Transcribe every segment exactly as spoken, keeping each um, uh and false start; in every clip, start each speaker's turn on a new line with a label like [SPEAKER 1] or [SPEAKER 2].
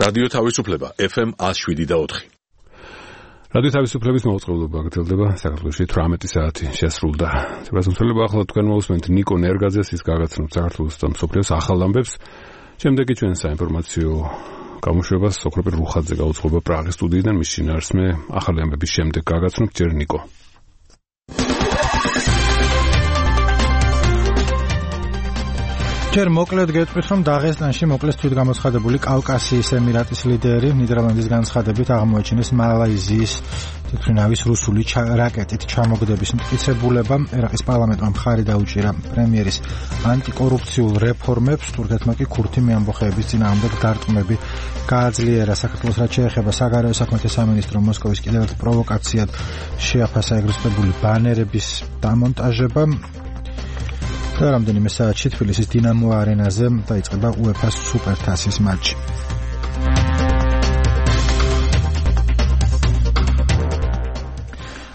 [SPEAKER 1] რადიო თავისუფლება ეფ ემ one oh seven და four.
[SPEAKER 2] რადიო თავისუფლების მოწყობილობა გრძელდება საქართველოში თვრამეტი საათი შესრულდა. შეგვიძლია ახლა თქვენ მოусმენთ ნიკო ნერგაძეს, ის გაგაცნობთ საქართველოს და მსოფლიოს ახალ ამბებს. შემდეგი ჩვენ საინფორმაციო გამოშვებას სოკროპი რუხაძე გაუძღობა პრაღის სტუდიიდან, მის შინაარსმე ახალი ამბების შემდეგ გაგაცნობთ ჯერ ნიკო.
[SPEAKER 3] ჯერ მოკლედ გეტყვით, რომ დაღესტანში მოკლეს თვითგამოცხადებული კავკასიის ემირატის ლიდერი ნიდერლანდის განცხადებით აღმოაჩინეს მალაიზიის თვითმფრინავის რუსული რაკეტით ჩამოგდების მტკიცებულებამ. ერაყის პარლამენტმა მხარი დაუჭირა პრემიერის ანტიკორუფციულ რეფორმებს, თურქეთმა კი ქურთი მეამბოხეების წინააღმდეგ დარტყმები გააძლიერა. საქართველოს რაც შეეხება საგარეო საქმეთა სამინისტრო მოსკოვის კიდევ ერთ პროვოკაციად შეაფასა ეგროსტებული ბანერების დამონტაჟება. და რამდენიმე საათში თბილისის დინამო არენაზე დაიწყება უეფა-ს სუპერთასის მატჩი.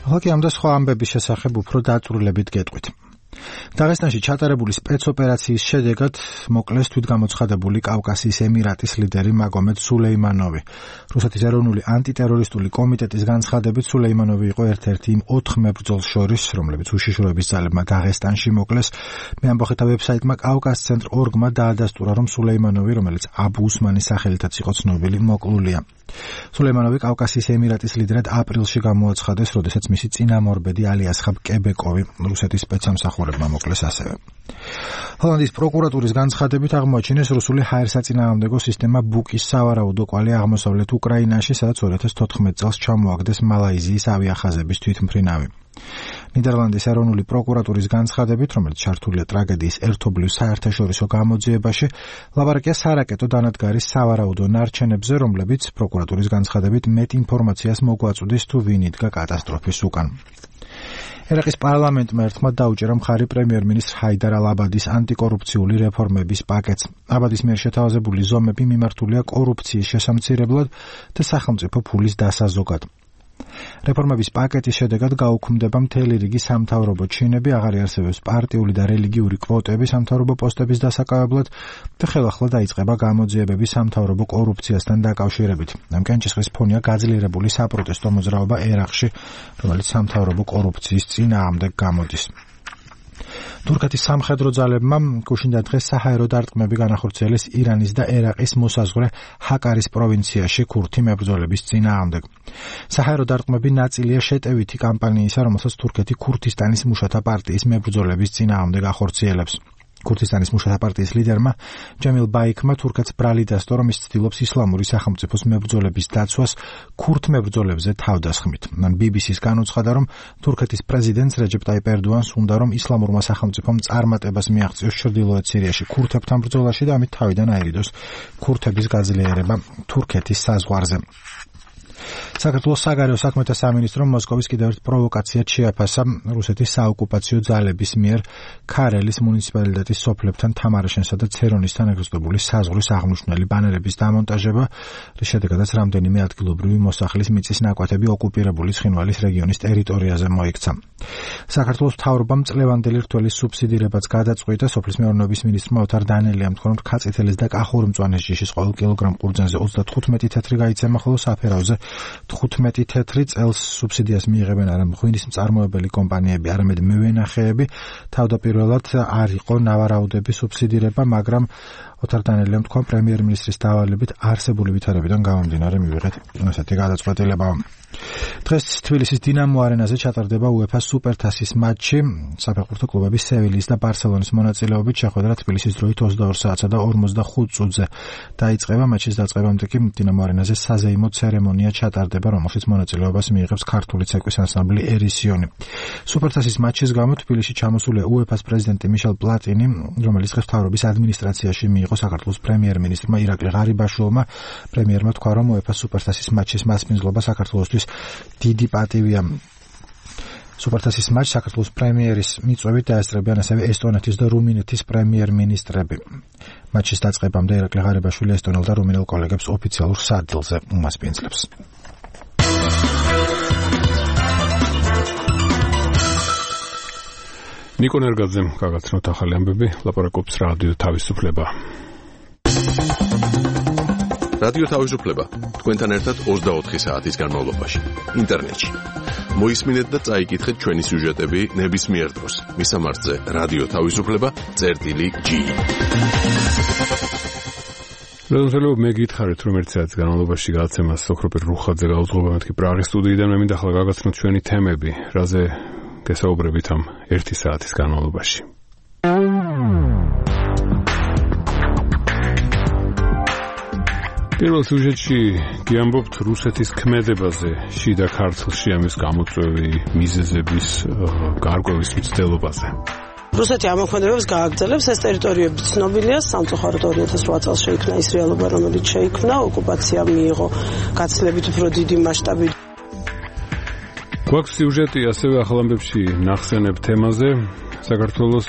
[SPEAKER 3] ახლა კი ამ და სხვა ამბების შესახებ უფრო დაწვრილებით გეტყვით. დაღესტანში ჩატარებული სპეცოპერაციის შედეგად მოკლეს თვითგამოცხადებული კავკასიის ემირატის ლიდერი მაგომედ სულეიმანოვი. რუსეთის ეროვნული ანტიტერორისტული კომიტეტის განცხადებით სულეიმანოვი იყო ერთ-ერთი იმ ოთხ მებრძოლს შორის, რომლებიც უშიშროების ძალებმა დაღესტანში მოკლეს. მეამბოხეთა ვებსაიტმა კავკას ცენტრ ორგმა დაადასტურა, რომ სულეიმანოვი, რომელიც აბუ უსმანის სახელითაც იყო ცნობილი, მოკლულია. სულეიმანოვი კავკასიის ემირატის ლიდერად აპრილში გამოაცხადეს, როდესაც მისი წინამორბედი ალი ასხაბ კებეკოვი რუსეთის სპეცსამსახურებმა მოკლეს ასევე. ჰოლანდიის პროკურატურის განცხადებით აღმოაჩინეს რუსული ჰაერსაწინააღმდეგო სისტემა ბუკის სავარაუდო კვალი აღმოსავლეთ უკრაინაში, სადაც two thousand fourteen წელს ჩამოაგდეს მალაიზიის ავიახაზების თვითმფრინავი. ნიდერლანდის ეროვნული პროკურატურის განცხადებით, რომელიც ჩართულია ტრაგედიის ერთობლივ საერთაშორისო გამოძიებაში, ლაპარაკია სარაკეტო დანადგარის სავარაუდო ნარჩენებზე, რომლებიც პროკურატურის განცხადებით მეტ ინფორმაციას მოგვაწვდის თუ ვინ იდგა კატასტროფის უკან. ერაყის პარლამენტმა ერთხმად დაუჭირა მხარი პრემიერ-მინისტრ ჰაიდარ ალ-აბადის ანტიკორუფციული რეფორმების პაკეტს. აბადის მიერ შეთავაზებული ზომები მიმართულია კორუფციის შესამცირებლად და სახელმწიფო ფულის დასაზოგად. რეფორმების პაკეტის შედეგად გაუქმდება მთელი რიგი სამთავრობო ჩინები, აღარ იარსებებს პარტიული და რელიგიური კვოტები სამთავრობო პოსტების დასაკავებლად და ხელახლა დაიწყება გამოძიებები სამთავრობო კორუფციასთან დაკავშირებით. ამ კენჭისყრის ფონია გაძლიერებული საპროტესტო მოძრაობა ერაყში, რომელიც სამთავრობო კორუფციის წინააღმდეგ გამოდის. თურქეთის სამხედრო ძალებმა გუშინდა დღეს საჰაერო დარტყმები განახორციელეს ირანის და ერაყის მოსაზღვრე ჰაკარის პროვინციაში ქურთი მებრძოლების წინააღმდეგ. საჰაერო დარტყმები ნაწილია შეტევითი კამპანიისა, რომელსაც თურქეთი ქურთისტანის მუშათა პარტიის მებრძოლების წინააღმდეგ ახორციელებს. ქურთისტანის მუშათა პარტიის ლიდერმა ჯემილ ბაიქმა თურქეთს ბრალი დასდო, რომ ის ცდილობს ისლამური სახელმწიფოს მებრძოლების დაცვას ქურთ მებრძოლებზე თავდასხმით. ბი ბი სი-ს განუცხადა, რომ თურქეთის პრეზიდენტს რეჯეპ ტაიპ ერდოანს უნდა, რომ ისლამურმა სახელმწიფომ წარმატებას მიაღწიოს ჩრდილოეთ სირიაში ქურთებთან ბრძოლაში და ამით თავიდან აერიდოს ქურთების გაძლიერება თურქეთის საზღვარზე. საქართველოს საგარეო საქმეთა სამინისტრომ მოსკოვის კიდევ ერთ პროვოკაციად შეაფასა რუსეთის საოკუპაციო ძალების მიერ ქარელის მუნიციპალიტეტის სოფლებთან თამარაშენსა და ცერონისთან ეგროსტებული საზღვრის აღმნიშვნელი ბანერების დამონტაჟება, რის შედეგადაც რამდენიმე ადგილობრივი მოსახლის მიწის ნაკვეთები ოკუპირებული ცხინვალის რეგიონის ტერიტორიაზე მოიქცა. საქართველოს მთავრობამ წლევანდელი რთველის სუბსიდირებაც გადაწყვიტა. სოფლის მეურნეობის მინისტრმა ოთარ დანელიამ თქვა, რომ თხაწითელის და კახური მწვანეს ჯიშის ყოველ კილოგრამ ყურძენზე ოცდათხუთმეტი თეთრი გაიცემა, ხოლო საფერავზე თხუთმეტი თეთრი. წელს სუბსიდიას მიიღებენ არა ღვინის მწარმოებელი კომპანიები, არამედ მევენახეები. თავდაპირველად არ იყო ნავარაუდების სუბსიდირება, მაგრამ ოთარ დანელიამ თქვა, პრემიერ-მინისტრის დავალებით არსებული ვითარებიდან გამომდინარე მივიღეთ ასეთი გადაწყვეტილება. დღეს თბილისის დინამო არენაზე ჩატარდება უეფა-ს სუპერთასის მატჩი. საფეხბურთო კლუბების სევილიის და ბარსელონის მონაწილეობით შეხვედრა თბილისის დროით ოცდაორ საათსა და ორმოცდახუთ წუთზე დაიწყება. მატჩის დაწყებამდე კი დინამო არენაზე საზეიმო ცერემონია ჩატარდება, რომელშიც მონაწილეობას მიიღებს ქართული ცეკვის ანსამბლი ერისიონი. სუპერთასის მატჩის გამო თბილისში ჩამოსულია უეფა-ს პრეზიდენტი მიშელ პლატინი, რომელიც დღეს მთავრობის ადმინისტრაციაში მიიღო საქართველოს პრემიერ-მინისტრმა ირაკლი ღარიბაშვილმა. პრემიერმა თქვა, რომ უეფა-ს სუპერთასის მატჩის მასპინძლობა საქართველოსთვის დიდი პატივია. სუპერთასის მატჩს საქართველოს პრემიერის მიწვევით დაესწრებიან ასევე ესტონეთის და რუმინეთის პრემიერ-მინისტრები. მატჩის დაწყებამდე ირაკლი ღარიბაშვილი ესტონელ და რუმინელ კოლეგებს ოფიციალურ სარდლზე უმასპინძლებს.
[SPEAKER 2] ნიკო ნერგაძემ გაგაცნოთ ახალი ამბები, ლაპარაკობს რადიო თავისუფლება.
[SPEAKER 1] რადიო თავისუფლება თქვენთან ერთად ოცდაოთხი საათის განმავლობაში ინტერნეტში. მოისმინეთ და წაიკითხეთ ჩვენი სიუჟეტები ნებისმიერ დროს. მისამართზე რადიო თავისუფლება წერტილი ჯი.
[SPEAKER 2] როდესაც მე გითხარით რომ ერთი საათის განმავლობაში გადაცემას სოქროპერ რუხაძე გაუძღობა მეთქი პრაღის სტუდიიდან მე მინდა ახლა გაგაცნოთ ჩვენი თემები, რაზე გესაუბრებით ამ ერთი საათის განმავლობაში. პირველ სიუჟეტში გიამბობთ რუსეთის ქმედებაზე, შიდა ქართლში ამის გამოწვევი მიზეზების გარკვევის მცდელობაზე.
[SPEAKER 4] რუსეთი ამოქმედებს გააგრძელებს ეს ტერიტორიები ცნობილია, სამწუხაროდ ორი ათას ოთხ წელს შეიქმნა ის რეალობა, რომელიც შეიქმნა, ოკუპაცია მიიღო გაცილებით უფრო დიდი მასშტაბით.
[SPEAKER 2] გვაქვს სიუჟეტი ასევე ახალ ამბებში ნახსენებ თემაზე. საქართველოს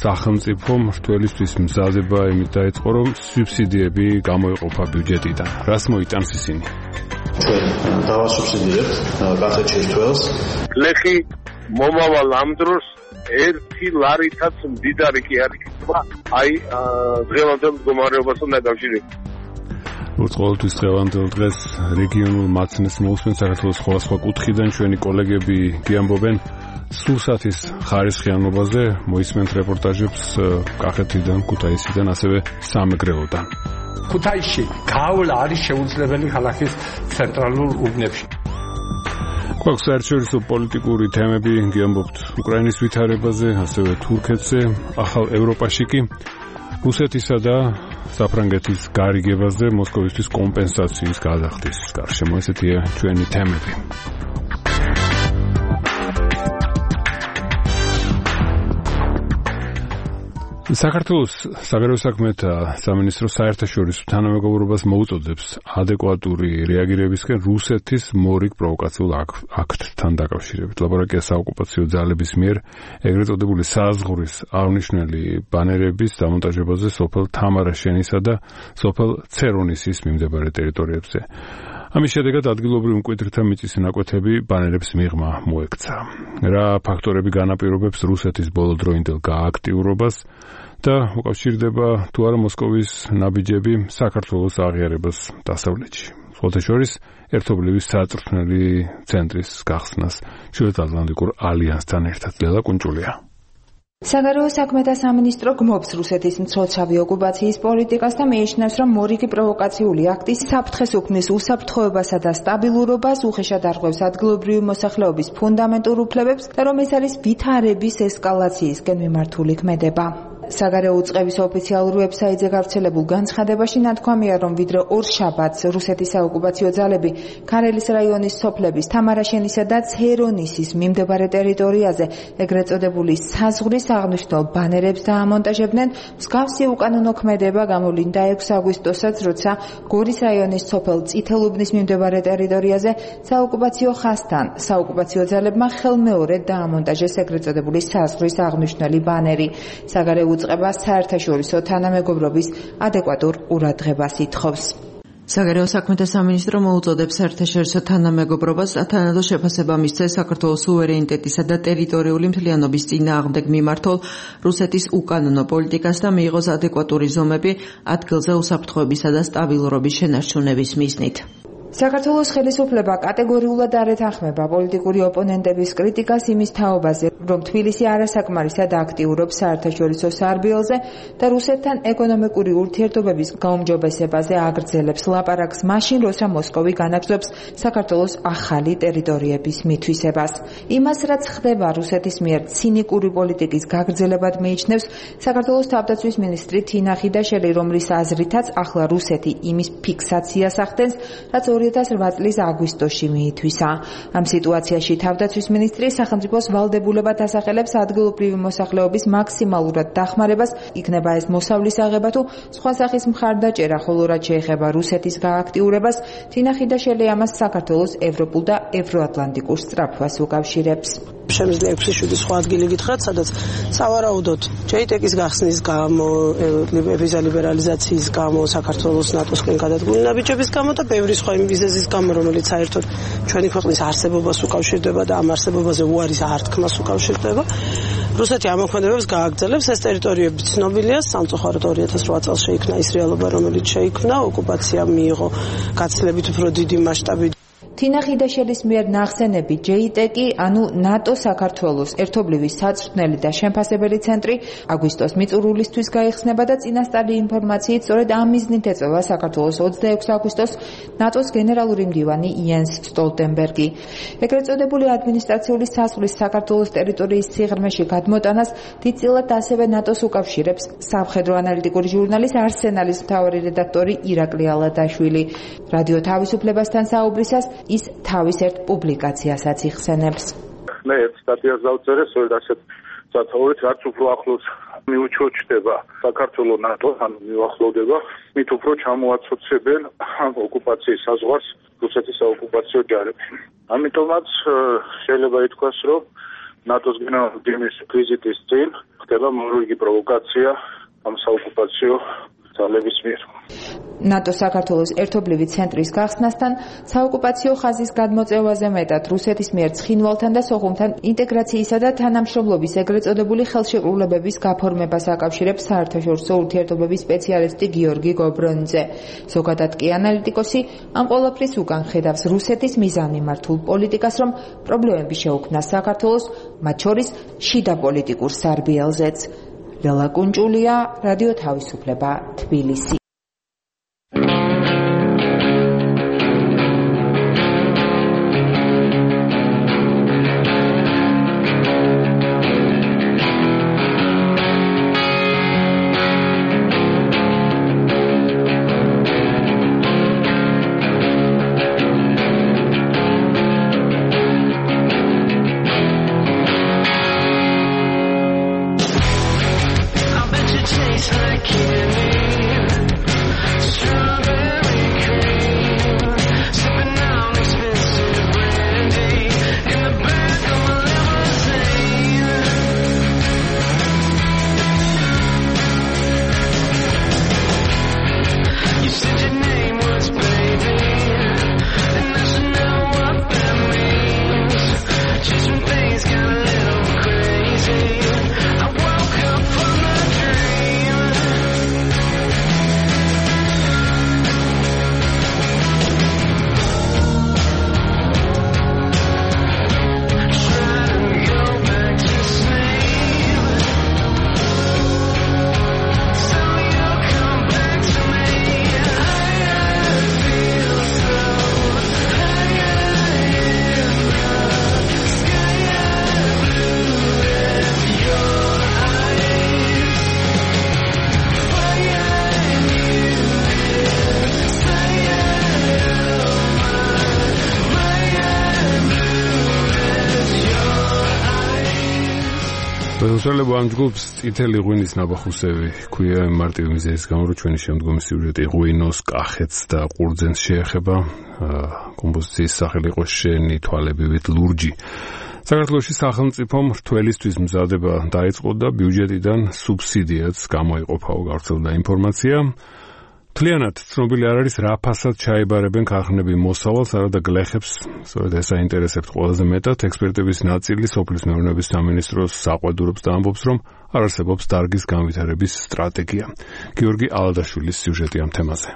[SPEAKER 2] სახელმწიფო მრთველისთვის მზადება იმით დაიწყო, რომ სუბსიდიები გამოიყოფა ბიუჯეტიდან. რას მოიტანს ისინი?
[SPEAKER 5] ჩვენ დავასუბსიდირებთ კახეთში მრთველს.
[SPEAKER 6] ლეხი მომავალ ამ დროს ერთი ლარითაც მდიდარი კი არ იქნება. აი დღევანდელ მდგომარეობასთან დაკავშირებით.
[SPEAKER 2] უცხოელთვის დღევანდელ დღეს რეგიონულ მაცნეს მოусმენ საქართველოს სხვადასხვა კუთხიდან ჩვენი კოლეგები გიამბობენ სურსათის ხარისხიანობაზე, მოისმენთ რეპორტაჟებს კახეთიდან, ქუთაისიდან, ასევე სამეგრელოდან.
[SPEAKER 7] ქუთაისში გავლა არის შეუძლებელი ქალაქის ცენტრალურ უბნებში.
[SPEAKER 2] გვაქვს საერთაშორისო პოლიტიკური თემები, გიამბობთ უკრაინის ვითარებაზე, ასევე თურქეთზე, ახალ ევროპაში კი რუსეთისა და საფრანგეთის გარიგებაზე, მოსკოვისთვის კომპენსაციის გადახდის გარშემო. ესეთია ჩვენი თემები. საქართველოს საგარეო საქმეთა სამინისტრო საერთაშორისო თანამეგობრობას მოუწოდებს ადეკვატური რეაგირებისკენ რუსეთის მორიგ პროვოკაციულ აქტთან დაკავშირებით. ლაბორაკია საოკუპაციო ძალების მიერ ეგრეთ წოდებული საზღვრის აღნიშნული ბანერების დამონტაჟებაზე სოფელ თამარაშენისა და სოფელ ცერონისის მიმდებარე ტერიტორიებზე. ამის შედეგად ადგილობრივ მკვიდრთა მიწის ნაკვეთები ბანერებს მიღმა მოექცა. რა ფაქტორები განაპირობებს რუსეთის ბოლოდროინდელ გააქტიურობას და უკავშირდება თუ არა მოსკოვის ნაბიჯები საქართველოს აღიარებას დასავლეთში. სხვათა შორის ერთობლივი საწვრთნელი ცენტრის გახსნას ჩრდილოეთატლანტიკურ ალიანსთან ერთად. ლელა კუნჭულია.
[SPEAKER 8] საგარეო საქმეთა სამინისტრო გმობს რუსეთის მცოცავი ოკუპაციის პოლიტიკას და მიიჩნევს, რომ მორიგი პროვოკაციული აქტი საფრთხეს უქმნის უსაფრთხოებასა და სტაბილურობას, უხეშად არღვევს ადგილობრივი მოსახლეობის ფუნდამენტურ უფლებებს და რომ ეს არის ვითარების ესკალაციისკენ მიმართული ქმედება. საგარეო უწყების ოფიციალურ ვებსაიტზე გავრცელებულ განცხადებაში ნათქვამია, რომ ვიდრე ორ შაბათს რუსეთის საოკუპაციო ძალები ქარელის რაიონის სოფლების თამარაშენისა და ცერონისის მიმდებარე ტერიტორიაზე ეგრეთ წოდებული საზღვრის აღნიშნულ ბანერებს დაამონტაჟებდნენ, მსგავსი უკანონო ქმედება გამოვლინდა ექვსი აგვისტოსაც, როცა გორის რაიონის სოფელ წითელუბნის მიმდებარე ტერიტორიაზე საოკუპაციო ხაზთან საოკუპაციო ძალებმა ხელმეორედ დაამონტაჟეს ეგრეთ წოდებული საზღვრის აღნიშნული ბანერი. საგარეო უწყება საერთაშორისო თანამეგობრობის ადეკვატურ ყურადღებას ითხოვს.
[SPEAKER 9] საგარეო საქმეთა სამინისტრო მოუწოდებს საერთაშორისო თანამეგობრობას თანადო შეფასება მისცეს საქართველოს სუვერენიტეტისა და ტერიტორიული მთლიანობის წინააღმდეგ მიმართულ რუსეთის უკანონო პოლიტიკას და მიიღოს ადეკვატური ზომები ადგილზე უსაფრთხოებისა და სტაბილურობის შენარჩუნების მიზნით. საქართველოს ხელისუფლება კატეგორიულად არ ეთანხმება პოლიტიკური ოპონენტების კრიტიკას იმის თაობაზე, რომ თბილისი არასაკმარისად აქტიურობს საერთაშორისო სარბიელზე და რუსეთთან ეკონომიკური ურთიერთობების გაუმჯობესებაზე აგრძელებს ლაპარაკს მაშინ, როცა მოსკოვი განაგრძობს საქართველოს ახალი ტერიტორიების მითვისებას. იმას, რაც ხდება რუსეთის მიერ ცინიკური პოლიტიკის გაგრძელებად მიიჩნევს საქართველოს თავდაცვის მინისტრი თინა ხიდაშელი, რომლის აზრითაც ახლა რუსეთი იმის ფიქსაციას ახდენს, რაც ორი ათას რვა წლის აგვისტოში მიითვისა. ამ სიტუაციაში თავდაცვის მინისტრი სახელმწიფოს ვალდებულებად ასახელებს ადგილობრივი მოსახლეობის მაქსიმალურად დახმარებას, იქნება ეს მოსავლის აღება თუ სხვა სახის მხარდაჭერა, ხოლო რაც შეეხება რუსეთის გააქტიურებას, თინა ხიდაშელი ამას საქართველოს ევროპულ და ევროატლანტიკურ სწრაფვას უკავშირებს.
[SPEAKER 4] შემიძლია ექვსი შვიდი სხვა ადგილი გითხრათ, სადაც სავარაუდოდ ჯეიტეკის გახსნის გამო, ვიზა ლიბერალიზაციის გამო, საქართველოს ნატოსკენ გადადგმული ნაბიჯების გამო და ბევრი სხვა იმ მიზეზის გამო, რომელიც საერთოდ ჩვენი ქვეყნის არსებობას უკავშირდება და ამ არსებობაზე უარის ართქმას უკავშირდება. რუსეთი ამოქმედებებს გააგრძელებს, ეს ტერიტორიები ცნობილია, სამწუხაროდ ორი ათას რვა წელს შეიქმნა ის რეალობა, რომელიც შეიქმნა, ოკუპაცია მიიღო გაცილებით უფრო დიდი მასშტაბით.
[SPEAKER 8] თინა ხიდაშელის მიერ ნახსენები ჯეიტეკი, ანუ ნატო საქართველოს ერთობლივი საწვრთნელი და შემფასებელი ცენტრი აგვისტოს მიწურულისთვის გაიხსნება და წინასწარი ინფორმაციით სწორედ ამ მიზნით ეწევა საქართველოს ოცდაექვსი აგვისტოს ნატოს გენერალური მდივანი იენს სტოლტენბერგი. ეგრეთ წოდებული ადმინისტრაციული საზღვრის საქართველოს ტერიტორიის სიღრმეში გადმოტანას დიდწილად ასევე ნატოს უკავშირებს სამხედრო ანალიტიკური ჟურნალის არსენალის მთავარი რედაქტორი ირაკლი ალადაშვილი. რადიო თავისუფლებასთან საუბრისას ის თავის ერთ პუბლიკაციასაც იხსენებს.
[SPEAKER 6] მე ერთ სტატიას დავწერე, სწორედ ასეთ სათაურით, რაც უფრო ახლოს მიუჩოჩდება საქართველოს ნატო, ანუ მიუახლოვდება, მით უფრო ჩამოაცოცებენ ოკუპაციის საზღვარს რუსეთის საოკუპაციო ჯარები. ამიტომაც შეიძლება ითქვას, რომ ნატოს გენერალური მდივნის ვიზიტის წინ ხდება მორიგი პროვოკაცია ამ საოკუპაციო ძალების მიერ.
[SPEAKER 8] ნატო საქართველოს ერთობლივი ცენტრის გახსნასთან საოკუპაციო ხაზის გადმოწევაზე მეტად რუსეთის მიერ ცხინვალთან და სოხუმთან ინტეგრაციისა და თანამშრომლობის ეგრეთ წოდებული ხელშეკრულებების გაფორმებას აკავშირებს საერთაშორისო ურთიერთობების სპეციალისტი გიორგი გობრონიძე. ზოგადად კი ანალიტიკოსი ამ ყველაფრის უკან ხედავს რუსეთის მიზანმიმართულ პოლიტიკას, რომ პრობლემები შეუქმნას საქართველოს, მათ შორის შიდა პოლიტიკურ სარბიელზეც. ლელა კუნჭულია, რადიო თავისუფლება, თბილისი.
[SPEAKER 2] მოსწავლეებო ამ ჯგუფს წითელი ღვინის ნაბახუსები ქვია მარტივი მიზეზის გამო, რომ ჩვენი შემდგომი სიუჟეტი ღვინოს, კახეთს და ყურძენს შეეხება. კომპოზიციის სახელი იყო შენი თვალებივით ლურჯი. საქართველოში სახელმწიფომ რთველისთვის მზადება დაიწყო და ბიუჯეტიდან სუბსიდიაც გამოიყოფაო, გავრცელდა ინფორმაცია. თლიანად ცნობილი არ არის რა ფასად ჩაებარებენ ქარხნები მოსავალს, არადა გლეხებს, სწორედ ეს აინტერესებთ ყველაზე მეტად. ექსპერტების ნაწილი სოფლის მეურნეობის სამინისტროს საყვედურობს და ამბობს, რომ არ არსებობს დარგის განვითარების სტრატეგია. გიორგი ალადაშვილის სიუჟეტი ამ თემაზე.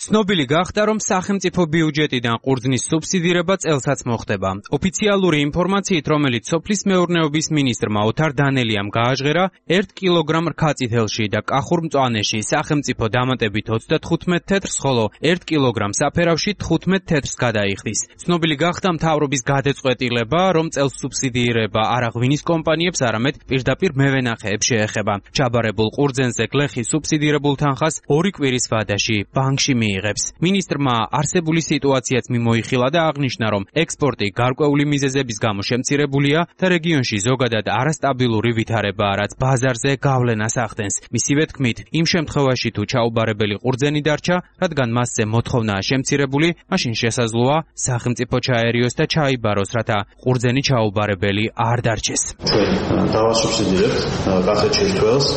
[SPEAKER 10] ცნობილი გახდა, რომ სახელმწიფო ბიუჯეტიდან ყურძნის სუბსიდირება წელსაც მოხდება. ოფიციალური ინფორმაციით, რომელიც სოფლის მეურნეობის მინისტრმა ოთარ დანელიამ გააჟღერა, ერთ კილოგრამ რქაწითელში და კახურ მწვანეში სახელმწიფო დამატებით ოცდათხუთმეტ თეთრს, ხოლო ერთ კილოგრამ საფერავში თხუთმეტ თეთრს გადაიხდის. ცნობილი გახდა მთავრობის გადაწყვეტილება, რომ წელს სუბსიდირება არა ღვინის კომპანიებს, არამედ პირდაპირ მევენახეებს შეეხება. ჩაბარებულ ყურძენზე გლეხის სუბსიდირებულ თანხას ორი კვირის ვადაში ბანკში მიიღებს. მინისტრმა არსებული სიტუაციაც მიმოიხილა და აღნიშნა, რომ ექსპორტი გარკვეული მიზეზების გამო შემცირებულია და რეგიონში ზოგადად არასტაბილური ვითარებაა, რაც ბაზარზე გავლენას ახდენს. მისივე თქმით, იმ შემთხვევაში თუ ჩაუბარებელი ყურძენი დარჩა, რადგან მასზე მოთხოვნაა შემცირებული, მაშინ შესაძლოა სახელმწიფო ჩაერიოს და ჩაიბაროს, რათა ყურძენი ჩაუბარებელი არ დარჩეს.
[SPEAKER 5] ჩვენ დავასუბსიდირებთ კახეთ შეშთველს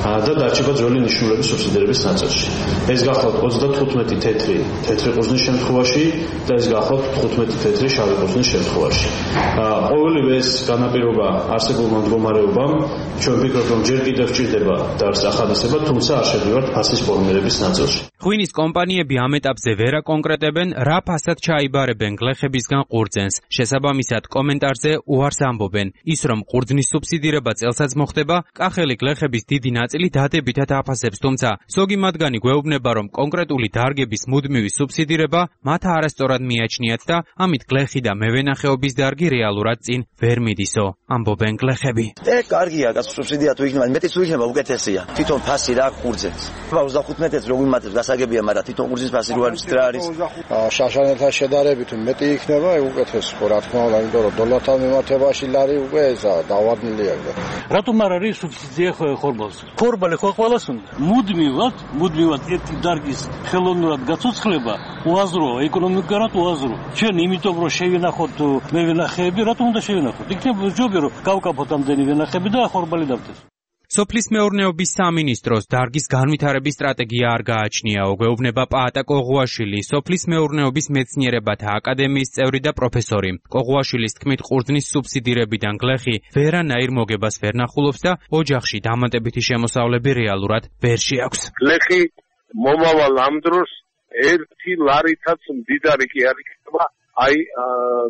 [SPEAKER 5] და დარჩება ძველი ნიშნულების სუბსიდირების ნაწილში. ეს გახლავთ ოცდათხუთმეტი თეთრი თეთრი ყურძნის შემთხვევაში და ეს გახლავთ თხუთმეტი თეთრი შავი ყურძნის შემთხვევაში. ყოველივე ეს განაპირობა არსებულმა მდგომარეობამ ჩვენ ვფიქრობთ, რომ ჯერ კიდევ სჭირდება დარს ახალისება, თუმცა არ შევდივართ ფასის ფორმირების ნაწილში.
[SPEAKER 10] ღვინის კომპანიები ამ ეტაპზე ვერ აკონკრეტებენ, რა ფასად ჩაიბარებენ გლეხებისგან ყურძენს. შესაბამისად, კომენტარზე უარს ამბობენ. ის, რომ ყურძნის სუბსიდირება წელსაც მოხდება, კახელი გლეხების დიდი ნაწილი დადებითად აფასებს, თუმცა ზოგი მათგანი გვეუბნება, რომ კონკრეტული დარგების მუდმივი სუბსიდირება მათ არასწორად მიაჩნიათ და ამით გლეხი და მევენახეობის დარგი რეალურად წინ ვერ მიდისო, ამბობენ გლეხები.
[SPEAKER 11] ე კარგია, კაცო, სუბსიდია თუ იქნება, მეტიც თუ იქნება, უკეთესია. თვითონ ფასი რა ყურძენს. ოცდათხუთმეტი რო ვიმატებს, გასაგებია, მაგრამ თვითონ ყურძნის ფასი რო არის რა არის?
[SPEAKER 12] შაშანელთან შედარებით მეტი იქნება, უკეთეს ხო, რა თქმა უნდა, იმიტომ რომ დოლართან მიმართებაში ლარი უკვე ესა დავადნილია.
[SPEAKER 13] რატომ არ არის სუბსიდია ხორბალს? ხორბალი ხო ყველას უნდა. მუდმივად, მუდმივად ერთი დარგის ხელოვნურად გაცოცხლება უაზროა, ეკონომიკურად უაზროა. ჩვენ იმიტომ რომ შევინახოთ მევენახეები, რატომ უნდა შევინახოთ? იქნება ჯობია რომ გავკაფოთ ამდენი ვენახები და ხორბალი დავდეს.
[SPEAKER 10] სოფლის მეურნეობის სამინისტროს დარგის განვითარების სტრატეგია არ გააჩნიაო, გვეუბნება პაატა კოღუაშვილი, სოფლის მეურნეობის მეცნიერებათა აკადემიის წევრი და პროფესორი. კოღუაშვილის თქმით, ყურძნის სუბსიდირებიდან გლეხი ვერანაირ მოგებას ვერ ნახულობს და ოჯახში დამატებითი შემოსავლები რეალურად ვერ შეაქვს.
[SPEAKER 6] გლეხი მომავალ ამ დროს ერთი ლარითაც მდიდარი კი არ იქნება, აი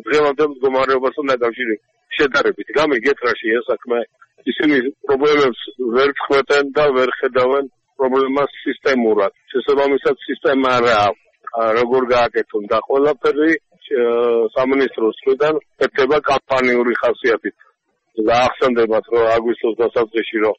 [SPEAKER 6] დღევანდელ მდგომარეობასთან დაკავშირებით შედარებით. გამიგეთ რაში ეს საქმე. ისინი პრობლემებს ვერ ხვდენ და ვერ ხედავენ პრობლემას სისტემურად. შესაბამისად სისტემა რა როგორ გააკეთონ და ყველაფერი სამინისტროს მხრიდან ეთება კამპანიური ხასიათით. გაახსენდებათ, რომ აგვისტოს დასაწყისში რომ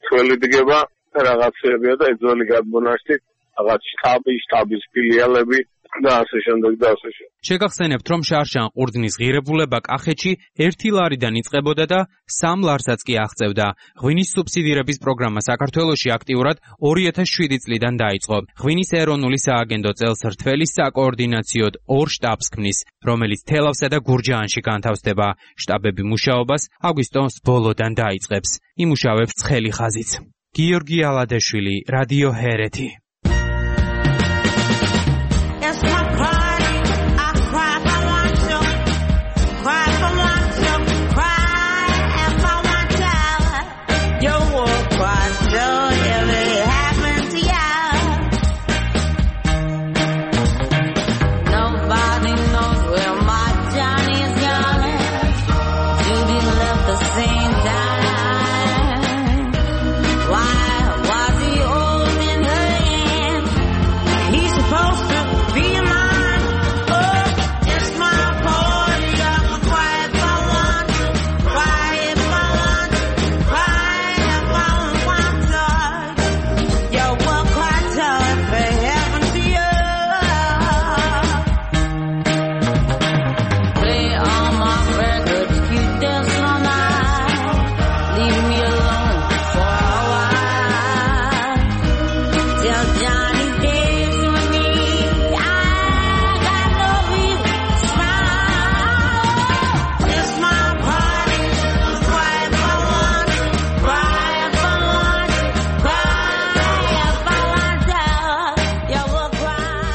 [SPEAKER 6] თველი დგება რაღაცებია და ეძველი გადმონაშთი რაღაც შტაბი, შტაბის ფილიალები და ასე შემდეგ და ასე შემდეგ.
[SPEAKER 10] შეგახსენებთ, რომ შარშან ყურძნის ღირებულება კახეთში ერთი ლარიდან იწყებოდა და სამ ლარსაც კი აღწევდა. ღვინის სუბსიდირების პროგრამა საქართველოში აქტიურად ორი ათას შვიდი წლიდან დაიწყო. ღვინის ეროვნული სააგენტო წელს რთველის საკოორდინაციოდ ორ შტაბს ქმნის, რომელიც თელავსა და გურჯაანში განთავსდება. შტაბები მუშაობას აგვისტოს ბოლოდან დაიწყებს. იმუშავებს ცხელი ხაზიც. გიორგი ალადეშვილი, რადიო ჰერეთი.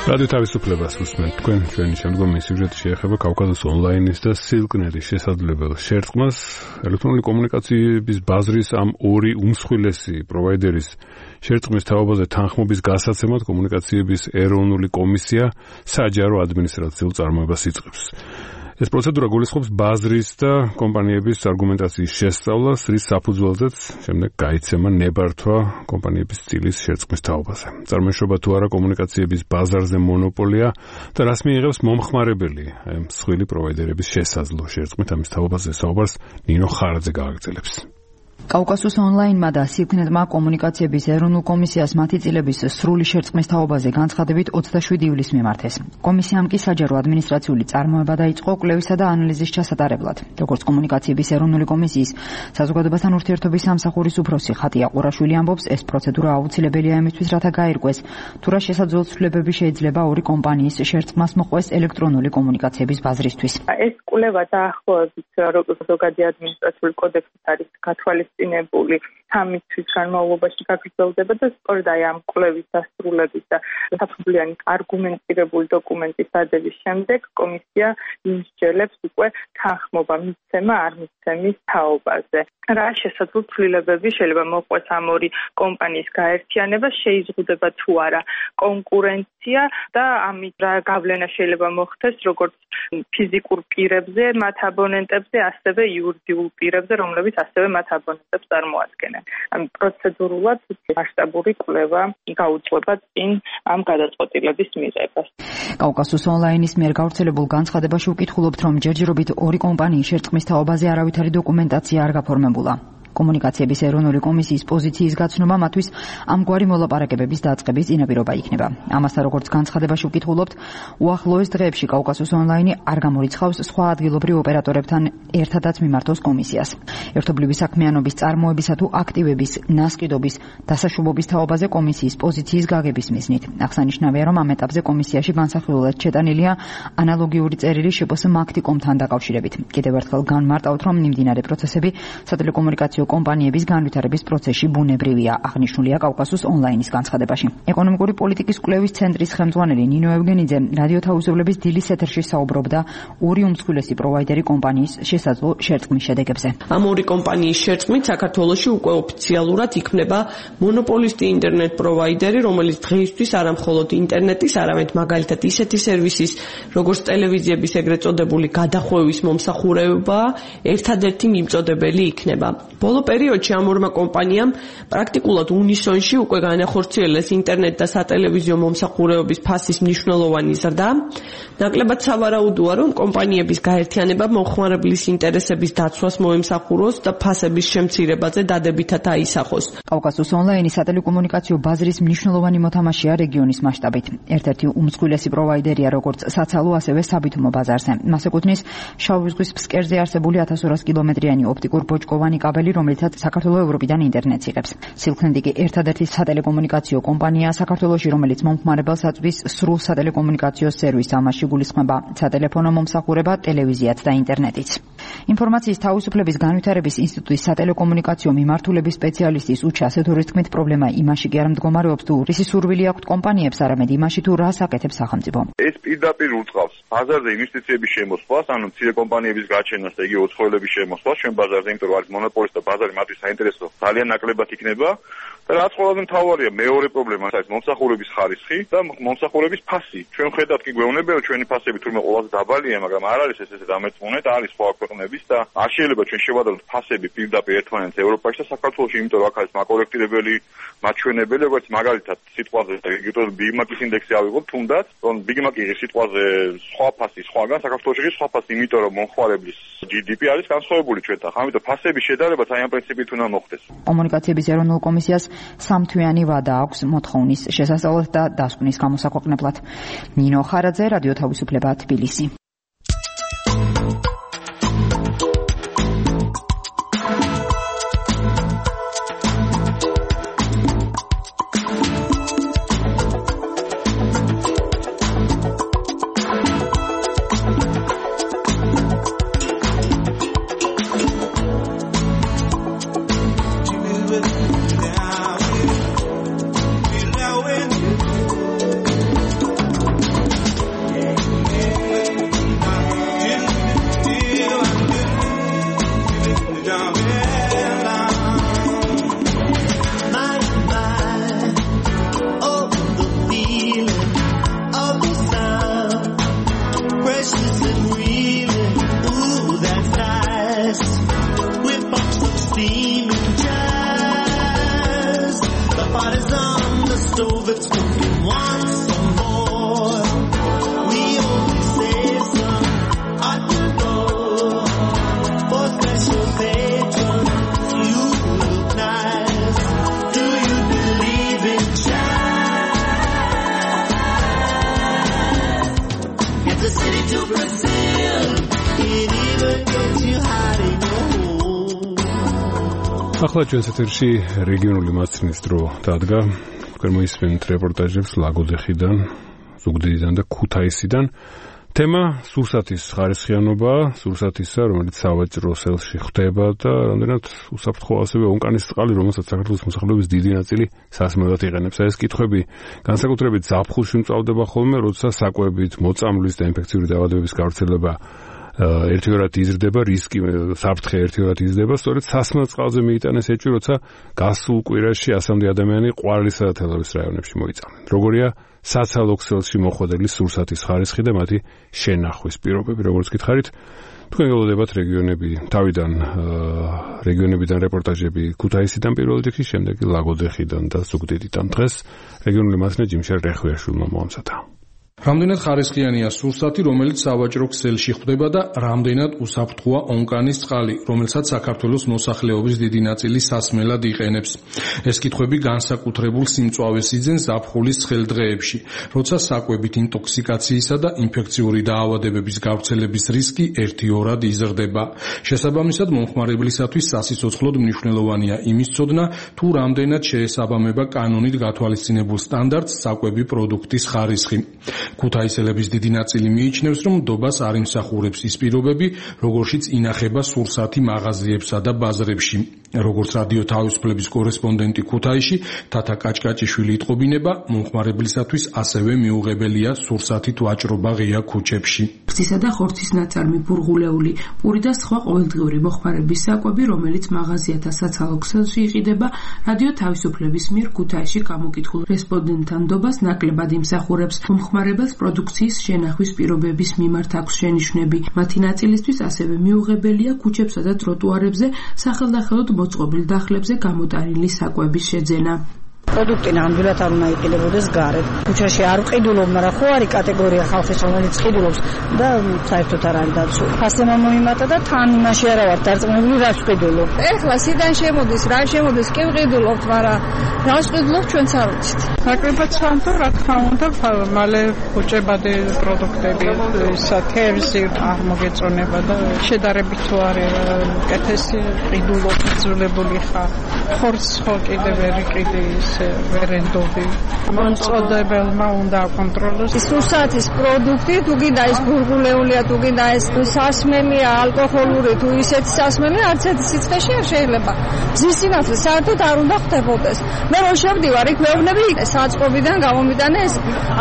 [SPEAKER 2] რადიო თავისუფლებას უსმენთ. თქვენ ჩვენი შემდგომი სიუჟეტი შეეხება კავკასიის ონლაინის და სილკნეტის შესაძლებელ შერწყმას. ელექტრონული კომუნიკაციების ბაზრის ამ ორი უმსხვილესი პროვაიდერის შერწყმის თაობაზე თანხმობის გასაცემად კომუნიკაციების ეროვნული კომისია საჯარო ადმინისტრაციულ წარმოებას იწყებს. ეს პროცედურა გულისხმობს ბაზრის და კომპანიების არგუმენტაციის შესწავლას, რის საფუძველზეც შემდეგ გაიცემა ნებართვა კომპანიების წილის შერწყმის თაობაზე. წარმოიშობა თუ არა კომუნიკაციების ბაზარზე მონოპოლია და რას მიიღებს მომხმარებელი აი მსხვილი პროვაიდერების შესაძლო შერწყმით ამის თაობაზე საუბარს ნინო ხარაძე გააგრძელებს.
[SPEAKER 14] კავკასუს ონლაინმა და სილქნეტმა კომუნიკაციების ეროვნულ კომისიას მათი წილების სრული შერწყმის თაობაზე განცხადებით ოცდაშვიდი ივლისს მიმართეს. კომისიამ კი საჯარო ადმინისტრაციული წარმოება დაიწყო კვლევისა და ანალიზის ჩასატარებლად. როგორც კომუნიკაციების ეროვნული კომისიის საზოგადოებასთან ურთიერთობის სამსახურის უფროსი ხატია ყურაშვილი ამბობს, ეს პროცედურა აუცილებელია იმისთვის, რათა გაირკვეს, თუ რა შესაძლო ცვლილებები შეიძლება ორი კომპანიის შერწყმას მოყვეს ელექტრონული კომუნიკაციების ბაზრისთვის.
[SPEAKER 15] ეს კვლევა დაახლოებით როგორც ზოგადი ადმინისტრაციული კოდექსით არის გათვალისწინებული სამი თვის განმავლობაში გაგრძელდება და სწორედ აი ამ კვლევის დასრულების და საფუძვლიანი არგუმენტირებული დოკუმენტის დადების შემდეგ კომისია იმსჯელებს უკვე თანხმობა მიცემა არ მიცემის თაობაზე. რა შესაძლო ცვლილებები შეიძლება მოყვეს ამ ორი კომპანიის გაერთიანება, შეიზღუდება თუ არა კონკურენცია და ამით რა გავლენა შეიძლება მოხდეს როგორც ფიზიკურ პირებზე, მათ აბონენტებზე, ასევე იურიდიულ პირებზე, რომლებიც ასევე მათ აბონენტებს წარმოადგენენ. ამ პროცედურულად მასშტაბური კვლევა გაუძღვება წინ ამ გადაწყვეტილების მიღებას.
[SPEAKER 14] კავკასუს ონლაინის მიერ გავრცელებულ განცხადებაში უკითხულობთ, რომ ჯერჯერობით ორი კომპანიის შერწყმის თაობაზე არავითარი დოკუმენტაცია არ გაფორმებულა. კომუნიკაციების ეროვნული კომისიის პოზიციის გაცნობა მათთვის ამგვარი მოლაპარაკებების დაწყების წინაპირობა იქნება. ამასთან როგორც განცხადებაში უკითხულობთ, უახლოეს დღეებში კავკასუს ონლაინი არ გამორიცხავს სხვა ადგილობრივ ოპერატორებთან ერთადაც მიმართოს კომისიას. ერთობლივი საქმიანობის წარმოებისა თუ აქტივების ნასყიდობის დასაშვებობის თაობაზე კომისიის პოზიციის გაგების მიზნით. აღსანიშნავია, რომ ამ ეტაპზე კომისიაში განსახილულად შეტანილია ანალოგიური წერილი შპს მაქტიკომთან დაკავშირებით. კიდევ ერთხელ განმარტავთ, რომ მიმდინარე პროცესები სატელეკომუნიკაციო კომპანიების განვითარების პროცესში ბუნებრივია, აღნიშნულია კავკასუს ონლაინის განცხადებაში. ეკონომიკური პოლიტიკის კვლევის ცენტრის ხელმძღვანელი ნინო ევგენიძე რადიო თავისუფლების დილის ეთერში საუბრობდა ორი უმსხვილესი პროვაიდერი კომპანიის შესაძლო შერწყმის შედეგებზე.
[SPEAKER 16] ამ ორი კომპანიის შერწყმით საქართველოში უკვე ოფიციალურად იქნება მონოპოლისტი ინტერნეტ პროვაიდერი, რომელიც დღეისთვის არა მხოლოდ ინტერნეტის, არამედ მაგალითად ისეთი სერვისის, როგორც ტელევიზიების ეგრეთ წოდებული გადახვევის მომსახურება, ერთადერთი მიმწოდებელი იქნება. ბოლო პერიოდში ამ ორმა კომპანიამ პრაქტიკულად უნისონში უკვე განახორციელეს ინტერნეტ და სატელევიზიო მომსახურებების ფასის მნიშვნელოვანი ზრდა. ნაკლებად სავარაუდოა, რომ კომპანიების გაერთიანება მომხმარებლის ინტერესების დაცვას მოემსახუროს და ფასების შემცირებაზე დადებითად აისახოს.
[SPEAKER 14] კავკასუს ონლაინის სატელეკომუნიკაციო ბაზრის მნიშვნელოვანი მოთამაშეა რეგიონის მასშტაბით. ერთ-ერთი უმსხვილესი პროვაიდერია როგორც საცალო, ასევე საბითუმო ბაზარზე. მას ეკუთვნის შავი ზღვის ფსკერზე არსებული ათას ორასი კილომეტრიანი ოპტიკურ ბოჭკოვანი კაბელი, რომელიცაც საქართველოს ევროპიდან ინტერნეტს იღებს. სილქნეტი კი ერთადერთი სატელეკომუნიკაციო კომპანიაა საქართველოში, რომელიც მომხმარებელს აწვდის სრულ სატელეკომუნიკაციო სერვისს, ამაში გულისხმება სატელეფონო მომსახურება, ტელევიზიაც და ინტერნეტიც. ინფორმაციის თავისუფლების განვითარების ინსტიტუტის სატელეკომუნიკაციო მიმართულების სპეციალისტის უჩა ასეთურის თქმით, პრობლემა იმაში კი არ მდგომარეობს, თუ რისი სურვილი აქვთ კომპანიებს, არამედ იმაში, თუ რას აკეთებს სახელმწიფო.
[SPEAKER 6] ეს პირდაპირ უწყავს ბაზარზე ინვესტიციების შემოსვლას, ანუ მცირე კომპანიების გაჩენას და იგი უცხოელების შემოსვლას ჩვენ ბაზარზე, იმიტომ რომ არის მონოპოლისტი და ბაზარი მათთვის საინტერესო ძალიან ნაკლებად იქნება. და რაც ყველაზე მთავარია, მეორე პრობლემა არის მომსახურების ხარისხი და მომსახურების ფასი. ჩვენ ხედავთ კი გვეუბნება, რომ ჩვენი ფასები თურმე ყველაზე დაბალია, მაგრამ არ არის ეს ესე დამეწმუნეთ, არის სხვა ქვეყნების და არ შეიძლება ჩვენ შევადაროთ ფასები პირდაპირ ერთმანეთს ევროპაში და საქართველოში, იმიტომ რომ აქ არის მაკორექტირებელი, მაჩვენებელი, როგორც მაგალითად სიტყვაზე ბიგ მაკის ინდექსი ავიღოთ, თუნდაც, რომ ბიგ მაკი სიტყვაზე სხვა ფასი სხვაგან, საქართველოში კი სხვა ფასი, იმიტომ რომ მომხმარებლის ჯი დი პი არის განსხვავებული ჩვენთან. ამიტომ ფასების შედარებაც აი ამ პრინციპით უნდა მოხდეს.
[SPEAKER 14] კომუნიკაციების ეროვნულ კომისიას სამთვიანი ვადა აქვს მოთხოვნის შესასწავლად და დასკვნის გამოსაქვეყნებლად. ნინო ხარაძე, რადიო თავისუფლება, თბილისი.
[SPEAKER 2] ახლა ჩვენს ეთერში რეგიონული მასწავლებლის დრო დადგა. თქვენ მოისმენთ რეპორტაჟებს ლაგოდეხიდან, ზუგდიდიდან და ქუთაისიდან. თემა სურსათის ხარისხიანობა, სურსათისა, რომელიც სავაჭრო სელში ხდება და რამდენად უსაფრთხოა ასევე ონკანის წყალი, რომელსაც საქართველოს მოსახლეობის დიდი ნაწილი სასმელად იყენებს. ეს კითხვები განსაკუთრებით ზაფხულში მწვავდება ხოლმე, როცა საკვებით, მოწამვლის და ინფექციური დაავადებების გავრცელება ერთიორად იზრდება, რისკი საფრთხე ერთიორად იზრდება, სწორედ სასმელ წყალზე მიიტანეს ეჭვი, როცა გასულ კვირაში ასამდე ადამიანი ყვარლისა და თელავის რაიონებში მოიწამნენ. როგორია საცალო ქსელში მოხვედრილი სურსათის ხარისხი და მათი შენახვის პირობები, როგორც გითხარით, თქვენ გელოდებათ რეგიონები, თავიდან რეგიონებიდან რეპორტაჟები ქუთაისიდან პირველ რიგში, შემდეგ ლაგოდეხიდან და ზუგდიდიდან. დღეს რეგიონული მასწავლებელი ჯიმშარ რეხვიაშვილმა მოამზადა.
[SPEAKER 17] რამდენად ხარისხიანია სურსათი, რომელიც სავაჭრო ქსელში ხვდება და რამდენად უსაფრთხოა ონკანის წყალი, რომელსაც საქართველოს მოსახლეობის დიდი ნაწილი სასმელად იყენებს. ეს კითხვები განსაკუთრებულ სიმწვავეს იძენს ზაფხულის ცხელ დღეებში, როცა საკვებით ინტოქსიკაციისა და ინფექციური დაავადებების გავრცელების რისკი ერთიორად იზრდება. შესაბამისად, მომხმარებლისათვის სასიცოცხლოდ მნიშვნელოვანია იმის ცოდნა, თუ რამდენად შეესაბამება კანონით გათვალისწინებულ სტანდარტს საკვები პროდუქტის ხარისხი. ქუთაისელების დიდი ნაწილი მიიჩნევს, რომ ნდობას არ იმსახურებს ის პირობები, როგორშიც ინახება სურსათი მაღაზიებსა და ბაზრებში. როგორც რადიო თავისუფლების კორესპონდენტი ქუთაისში, თათა კაჭკაჭიშვილი იტყობინება, მომხმარებლისათვის ასევე მიუღებელია სურსათით ვაჭრობა ღია ქუჩებში.
[SPEAKER 18] ღვთისა და ხორცის ნაწარმი, ბურღულეული, პური და სხვა ყოველდღიური მოხმარების საკვები, რომელიც მაღაზიათა საცალო ქსელში იყიდება, რადიო თავისუფლების მიერ ქუთაისში გამოკითხულ რესპონდენტთან ნდობას ნაკლებად იმსახურებს. მომხმარებელს პროდუქციის შენახვის პირობების მიმართ აქვს შენიშვნები. მათი ნაწილისთვის ასევე მიუღებელია ქუჩებსა და ტროტუარებზე სახელდახელოდ მოწყობილ დახლებზე გამოტანილი საკვების შეძენა.
[SPEAKER 19] პროდუქტი ნამდვილად არ უნდა იყიდებოდეს გარეთ. ქუჩაში არ ვყიდულობ, მაგრამ ხო არის კატეგორია ხალხის, რომელიც ყიდულობს და საერთოდ არ არის დაცული. ფასზე მომიმატა და თან იმაში არა ვარ დარწმუნებული, რაც ვყიდულობ.
[SPEAKER 20] ეხლა სიდან შემოდის, რა შემოდის, კი ვყიდულობთ, მაგრამ რა ვყიდულობთ ჩვენც არ ვიცით.
[SPEAKER 21] ნაკლებად სანტო, რა თქმა უნდა, მალე უჭებადი პროდუქტები, ისა თევზი არ მოგეწონება და შედარებით თუ არის კეთესი ყიდულობ ძულებული ხარ. ხორცს ხო კიდე ვერ იყიდი ის ვერენდობი. მომწოდებელმა უნდა აკონტროლოს.
[SPEAKER 20] სურსათის პროდუქტი, თუ გინდა ის ბურღულეულია, თუ გინდა ის სასმელია, ალკოჰოლური, თუ ისეთი სასმელი, არც ერთი სიცხეში არ შეიძლება. მზის სინათლე საერთოდ არ უნდა ხდებოდეს. მე რო შევდივარ, იქ მეუბნები საწყობიდან გამომიტანე ეს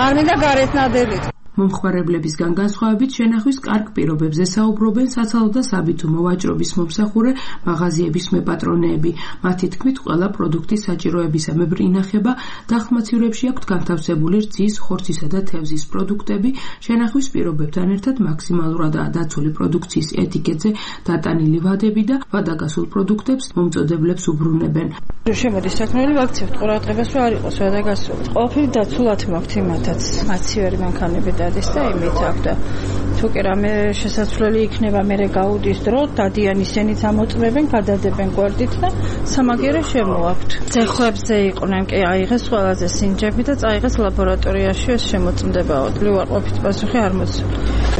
[SPEAKER 20] არ მინდა გარეთ ნადელით.
[SPEAKER 18] მომხმარებლებისგან განსხვავებით შენახვის კარგ პირობებზე საუბრობენ საცალო და საბითუმო ვაჭრობის მომსახურე მაღაზიების მეპატრონეები. მათი თქმით, ყველა პროდუქტის საჭიროებისამებრ ინახება დახმაცირებში აქვთ განთავსებული რძის, ხორცისა და თევზის პროდუქტები, შენახვის პირობებთან ერთად მაქსიმალურადაა დაცული პროდუქციის ეტიკეტზე დატანილი ვადები და ვადაგასულ პროდუქტებს მომწოდებლებს უბრუნებენ.
[SPEAKER 20] შემოდის საქმეები ვაქცევთ ყურადღებას რომ არ იყოს ვადაგასული. ყველაფერი დაცულად მაქვთ იმათაც. მაცივერი მანქანები დადის და იმით აქვს და თუ კი რამე შესაძლებელი იქნება მერე გაუდის დრო, დადიან ისენიც ამოწმებენ, გადადებენ გვერდით და სამაგიერო შემოაქვთ. ძეხვებზე იყვნენ კი აიღეს ყველაზე სინჯები და წაიღეს ლაბორატორიაში ეს შემოწმდებაო. ლივარყოფით პასუხი არ მოწმ.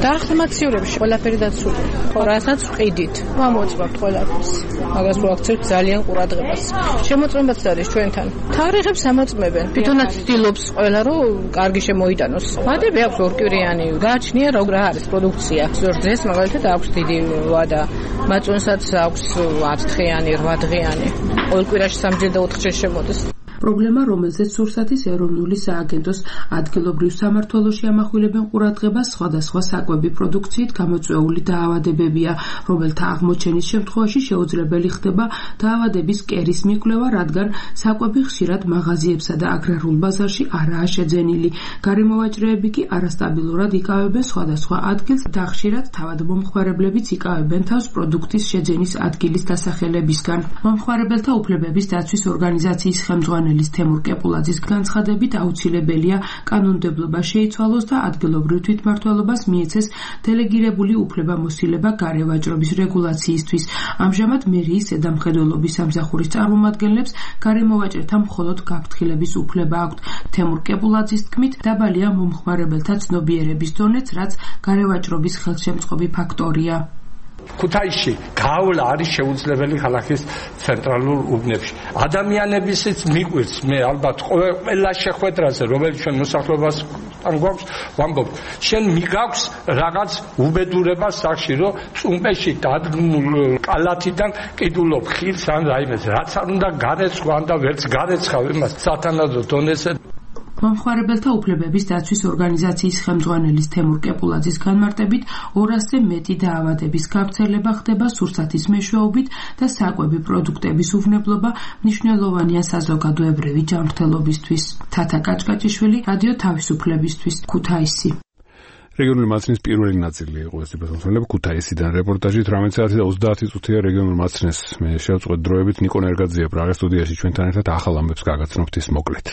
[SPEAKER 20] დახმაციურებში ყველაფერი დაცული. ხო, რასაც ვყიდით. ამოწმებთ ყველაფერს. მაგას ვაქცევთ ძალიან ყურადღებას. შემოწმებაც არის ჩვენთან. თარიღებს ამოწმებენ. თვითონაც ცდილობს ყველა რომ კარგი შემოიტანოს. ვადები აქვს ორკვირიანი. გააჩნია რა არის პროდუქცია. ზორძეს მაგალითად აქვს დიდი ვადა. მაწონსაც აქვს ათ დღიანი, რვა დღიანი. ყოველ კვირაში სამჯერ და ოთხჯერ შემოდის.
[SPEAKER 18] პრობლემა, რომელზეც სურსათის ეროვნული სააგენტოს ადგილობრივ სამმართველოში ამახვილებენ ყურადღებას, სხვადასხვა საკვები პროდუქციით გამოწვეული დაავადებებია, რომელთა აღმოჩენის შემთხვევაში შეუძლებელი ხდება დაავადების კერის მიკვლევა, რადგან საკვები ხშირად მაღაზიებსა და აგრარულ ბაზარში არაა შეძენილი. გარემოვაჭრეები კი არასტაბილურად იკავებენ სხვადასხვა ადგილს და ხშირად თავად მომხმარებლებიც იკავებენ თავს პროდუქტის შეძენის ადგილის დასახელებისგან. მომხმარებელთა უფლებების დაცვის ორგანიზაციის ხელმძღვანელი თემურ კეპულაძის განცხადებით აუცილებელია კანონმდებლობა შეიცვალოს და ადგილობრივ თვითმმართველობას მიეცეს დელეგირებული უფლებამოსილება გარევაჭრობის რეგულაციისთვის. ამჟამად მერიის ზედამხედველობის სამსახურის წარმომადგენლებს გარემოვაჭრეთა მხოლოდ გაფრთხილების უფლება აქვთ. თემურ კეპულაძის თქმით, დაბალია მომხმარებელთა ცნობიერების დონეც, რაც გარევაჭრობის ხელშემწყობი ფაქტორია.
[SPEAKER 7] ქუთაისში გავლა არის შეუძლებელი ქალაქის ცენტრალურ უბნებში. ადამიანებისიც მიყვირს მე ალბათ ყველა შეხვედრაზე, რომელიც ჩვენ მოსახლეობასთან გვაქვს, ვამბობ, შენ მიგაქვს რაღაც უბედურება სახში, რომ წუმპეში დადგმულ კალათიდან კიდულობ ხილს ან რაიმეს, რაც არ უნდა გარეცხვა და ვერც გარეცხავ იმას სათანადო დონეზე.
[SPEAKER 18] მომხმარებელთა უფლებების დაცვის ორგანიზაციის ხელმძღვანელის თემურ კეპულაძის განმარტებით ორასზე მეტი დაავადების გავრცელება ხდება სურსათის მეშვეობით და საკვები პროდუქტების უვნებლობა მნიშვნელოვანია საზოგადოებრივი ჯანმრთელობისთვის. თათა კაჭკაჭიშვილი, რადიო თავისუფლებისთვის, ქუთაისი.
[SPEAKER 2] რეგიონული მაცნის პირველი ნაწილი იყო ეს თვითმფრინავი ქუთაისიდან რეპორტაჟი თხამეტი საათი და ოცდაათი წუთია რეგიონულ მაცნეს მე შევწყვეტ დროებით ნიკო ნერგაძეა პრაღის სტუდიაში ჩვენთან ერთად ახალ ამბებს გაგაცნობთ ის მოკლედ.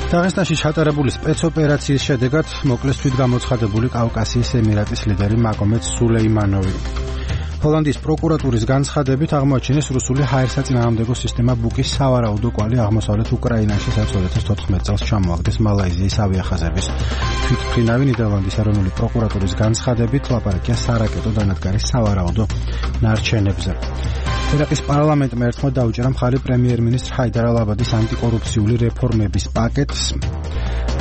[SPEAKER 3] დაღესტანში ჩატარებული სპეცოპერაციის შედეგად მოკლეს თვითგამოცხადებული კავკასიის ემირატის ლიდერი მაგომედ სულეიმანოვი. ჰოლანდიის პროკურატურის განცხადებით აღმოაჩინეს რუსული ჰაერსაწინააღმდეგო სისტემა ბუკის სავარაუდო კვალი აღმოსავლეთ უკრაინაში, სადაც ორი ათას თოთხმეტ წელს ჩამოაგდეს მალაიზიის ავიახაზების თვითმფრინავი. ნიდერლანდის ეროვნული პროკურატურის განცხადებით ლაპარაკია სარაკეტო დანადგარის სავარაუდო ნარჩენებზე. ერაყის პარლამენტმა ერთხმად დაუჭერა მხარი პრემიერ-მინისტრ ჰაიდარ ალ-აბადის ანტიკორუფციული რეფორმების პაკეტს,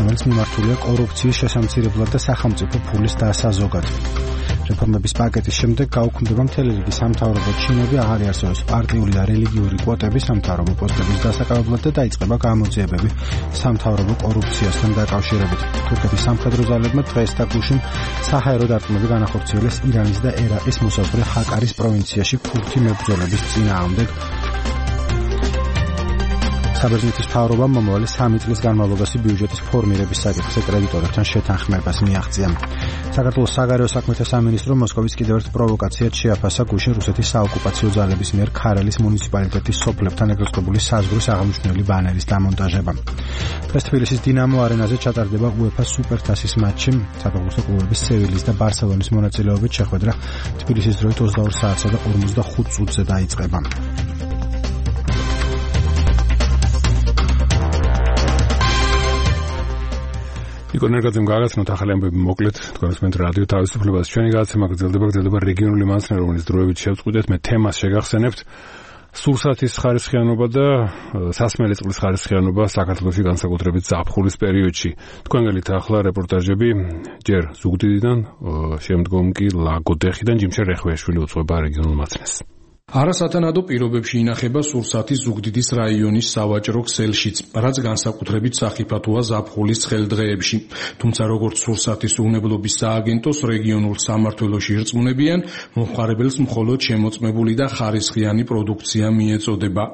[SPEAKER 3] რომელიც მიმართულია კორუფციის შესამცირებლად და სახელმწიფო ფულის დასაზოგად. რეფორმების პაკეტის შემდეგ გაუქმდება მთელი რიგი სამთავრობო ჩინები, აღარ იარსებობს პარტიული და რელიგიური კვოტები სამთავრობო პოსტების დასაკავებლად და დაიწყება გამოძიებები სამთავრობო კორუფციასთან დაკავშირებით. თურქეთის სამხედრო ძალებმა დღეს თაკუშინ საჰაერო დარტყმები განახორციელეს ირანის და ერაყის მოსაზღვრე ჰაკარის პროვინციაში ქურთი მებრძოლების წინააღმდეგ. საბერძნეთის მთავრობამ მომავალი სამი წლის განმავლობაში ბიუჯეტის ფორმირების საკითხზე კრედიტორებთან შეთანხმებას მიაღწია. საქართველოს საგარეო საქმეთა სამინისტრო მოსკოვის კიდევ ერთ პროვოკაციად შეაფასა გუშინ რუსეთის საოკუპაციო ძალების მიერ ქარელის მუნიციპალიტეტის სოფლებთან ეკროსკოპული საზღვრის აღმნიშვნელი ბანერის დამონტაჟება. დღეს თბილისის დინამო არენაზე ჩატარდება უეფა სუპერთასის მატჩი. საფეხბურთო კლუბების სევილის და ბარსელონის მონაწილეობით შეხვედრა თბილისის დროით ოცდაორ საათსა და ორმოცდახუთ წუთზე დაიწყება. ნიკო ნერგაძემ გააგაცნოთ ახალი ამბები მოკლედ თქვენს მეთ რადიო თავისუფლებას. ჩვენი გადაცემა გრძელდება გრძელდება რეგიონული მაცნე, რომელიც დროებით შევწყვეტეთ. მე თემას შეგახსენებთ. სურსათის ხარისხიანობა და სასმელი წყლის ხარისხიანობა საქართველოში განსაკუთრებით ზაფხულის პერიოდში. თქვენგელით ახლა რეპორტაჟები ჯერ ზუგდიდიდან, შემდგომ კი ლაგოდეხიდან ჯიმშე რეხვეაშვილი უძღვება რეგიონულ მაცნეს.
[SPEAKER 17] არასათანადო პირობებში ინახება სურსათის ზუგდიდის რაიონის სავაჭრო ქსელშიც, რაც განსაკუთრებით სახიფათოა ზაფხულის ცხელდღეებში. თუმცა როგორც სურსათის უვნებლობის სააგენტოს რეგიონულ სამმართველოში ირწმუნებიან, მომხმარებელს მხოლოდ შემოწმებული და ხარისხიანი პროდუქცია მიეწოდება.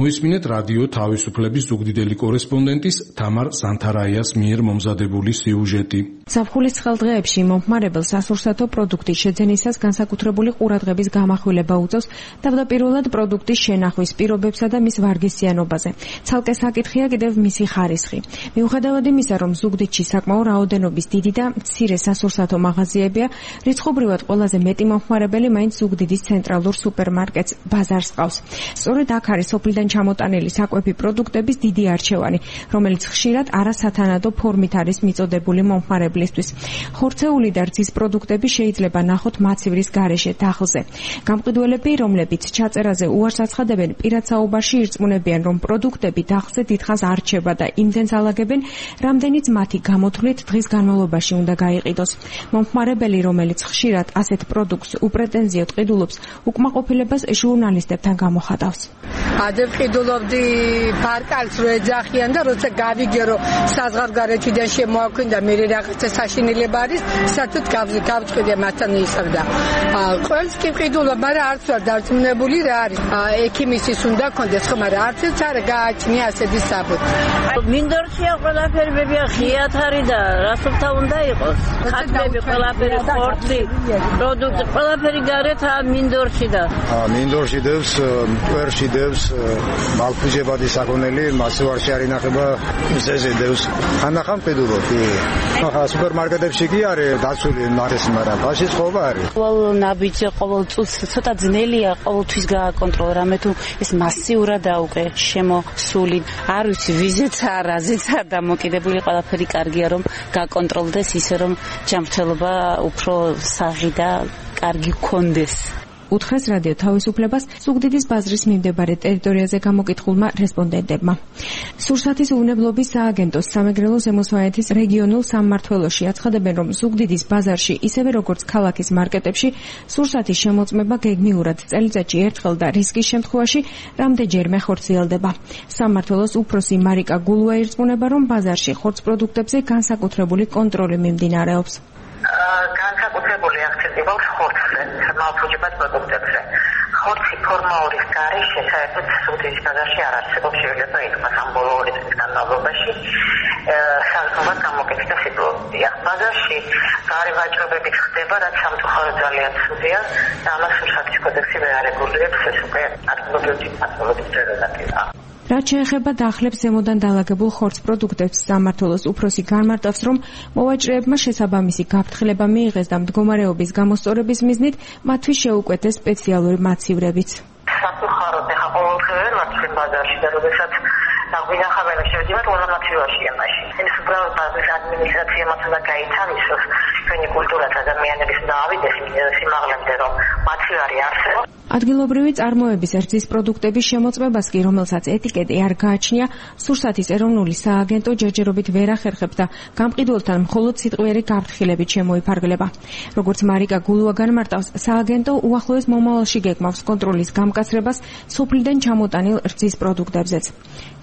[SPEAKER 17] მოისმინეთ რადიო თავისუფლების ზუგდიდელი კორესპონდენტის თამარ ზანთარაიას მიერ მომზადებული სიუჟეტი.
[SPEAKER 22] ზაფხულის ცხელდღეებში მომხმარებელს სასურსათო პროდუქტის შეძენისას განსაკუთრებული ყურადღების გამახვილება უწევს თავდაპირველად პროდუქტის შენახვის პირობებსა და მის ვარგისიანობაზე. ცალკე საკითხია კიდევ მისი ხარისხი. მიუხედავად იმისა, რომ ზუგდიდში საკმაო რაოდენობის დიდი და მცირე სასურსათო მაღაზიებია, რიცხობრივად ყველაზე მეტი მომხმარებელი მაინც ზუგდიდის ცენტრალურ სუპერმარკეტს ბაზარს ყავს. სწორედ აქ არის სოფლიდან ჩამოტანილი საკვები პროდუქტების დიდი არჩევანი, რომელიც ხშირად არასათანადო ფორმით არის მიწოდებული მომხმარებლისთვის. ხორცეული და რძის პროდუქტები შეიძლება ნახოთ მაცივრის გარეშე დახლზე. გამყიდველები, რომლებიც ჩაწერაზე უარს აცხადებენ, პირად საუბარში ირწმუნებიან, რომ პროდუქტები დახლზე დიდხანს არ რჩება და იმდენს ალაგებენ, რამდენიც მათი გამოთვლით დღის განმავლობაში უნდა გაიყიდოს. მომხმარებელი, რომელიც ხშირად ასეთ პროდუქტს უპრეტენზიოდ ყიდულობს, უკმაყოფილებას ჟურნალისტებთან გამოხატავს.
[SPEAKER 23] ადე ყიდულობდი ბარკალს რო ეძახიან და როცა გავიგე რომ საზღვარგარეთიდან შემოაქვინდა მე რაღაცა საშინელება არის, საერთოდ გავწყვიტე მათთან ისევდა. ყველს კი ყიდულობ, მაგრამ არც ვარ დარწმუნებული რა არის. ექიმისის უნდა კონდეს, ხო, მაგრამ არც არ გააჩნია ასეთი საბუთი.
[SPEAKER 24] მინდორშია ყველაფერი ბებია ხიათ არის და რასობდა უნდა იყოს. ხატები ყველაფერი ხორცი, პროდუქტი ყველაფერი გარეთ მინდორში და.
[SPEAKER 12] მინდორში დევს, კვერში დევს, მალფუჟებადი საქონელი, მასივარში არ ინახება, ზეზე დევს. ხანდახან ყიდულობ, კი. ახლა სუპერმარკეტებში კი არის დაცული მარეს, მაგრამ ბაშის ხობა არის.
[SPEAKER 24] ყოველ ნაბიჯი, ყოველ წუთს ცოტა ძნელია,
[SPEAKER 1] ყოველთვის გააკონტროლო რამე თუ ეს მასიურადაა უკვე შემოსული არ ვიცი ვიზეცა რაზეცა დამოკიდებული ყველაფერი კარგია რომ გააკონტროლდეს ისე რომ ჯანმრთელობა უფრო საღი და კარგი გქონდეს
[SPEAKER 22] უთხრეს რადიო თავისუფლებას ზუგდიდის ბაზრის მიმდებარე ტერიტორიაზე გამოკითხულმა რესპონდენტებმა. სურსათის უვნებლობის სააგენტოს სამეგრელო ზემოსვანეთის რეგიონულ სამმართველოში აცხადებენ, რომ ზუგდიდის ბაზარში, ისევე როგორც ქალაქის მარკეტებში, სურსათის შემოწმება გეგმიურად წელიწადში ერთხელ და რისკის შემთხვევაში რამდენჯერმე ხორციელდება. სამმართველოს უფროსი მარიკა გულუა ირწმუნება, რომ ბაზარში ხორცს პროდუქტებზე განსაკუთრებული კონტროლი მიმდინარეობს.
[SPEAKER 4] განსაკუთრებული აქცენტი აქვს ხორცზე, მალფუჭებად პროდუქტებზე. ხორცი ფორმაურის გარეშე საერთოდ ზუგდიდის ბაზარში არ არსებობს, შეიძლება ითქვას ამ ბოლო ორი წლის განმავლობაში საგრძნობად გამოკეთდა სიტუაცია. ბაზარში გარე ვაჭრობებით ხდება, რაც სამწუხაროდ ძალიან ცუდია და ამას სურსათის კოდექსი ვერ არეგულირებს, ეს უკვე ადგილობრივი პათოლოგიის პრეროგატივაა.
[SPEAKER 22] რაც შეეხება დახლებს ზემოდან დაალაგებულ ხორცს პროდუქტებს, სამმართველოს უფროსი განმარტავს, რომ მოვაჭრეებმა შესაბამისი გაფრთხილება მიიღეს და მდგომარეობის გამოსწორების მიზნით მათთვის შეუკვეთეს სპეციალური მაცივრებიც.
[SPEAKER 4] სამწუხაროდ ახლა ყოველდღიურად ვართ ბაზარში და როდესაც გვინახავენ შევდივართ ულამაცივაში ამაში. ეს უბრალოდ ბაზრის ადმინისტრაციამ უნდა გაითავისოს ჩვენი კულტურაც ადამიანების დაავიდეს სიმაღლემდე რომ მაცივარი არსებობს.
[SPEAKER 22] ადგილობრივი წარმოების რძის პროდუქტების შემოწმებას კი, რომელსაც ეტიკეტი არ გააჩნია, სურსათის ეროვნული სააგენტო ჯერჯერობით ვერ ახერხებს და გამყიდველთან მხოლოდ სიტყვიერი გაფრთხილებით შემოიფარგლება. როგორც მარიკა გულუა განმარტავს, სააგენტო უახლოეს მომავალში გეგმავს კონტროლის გამკაცრებას სოფლიდან ჩამოტანილ რძის პროდუქტებზეც.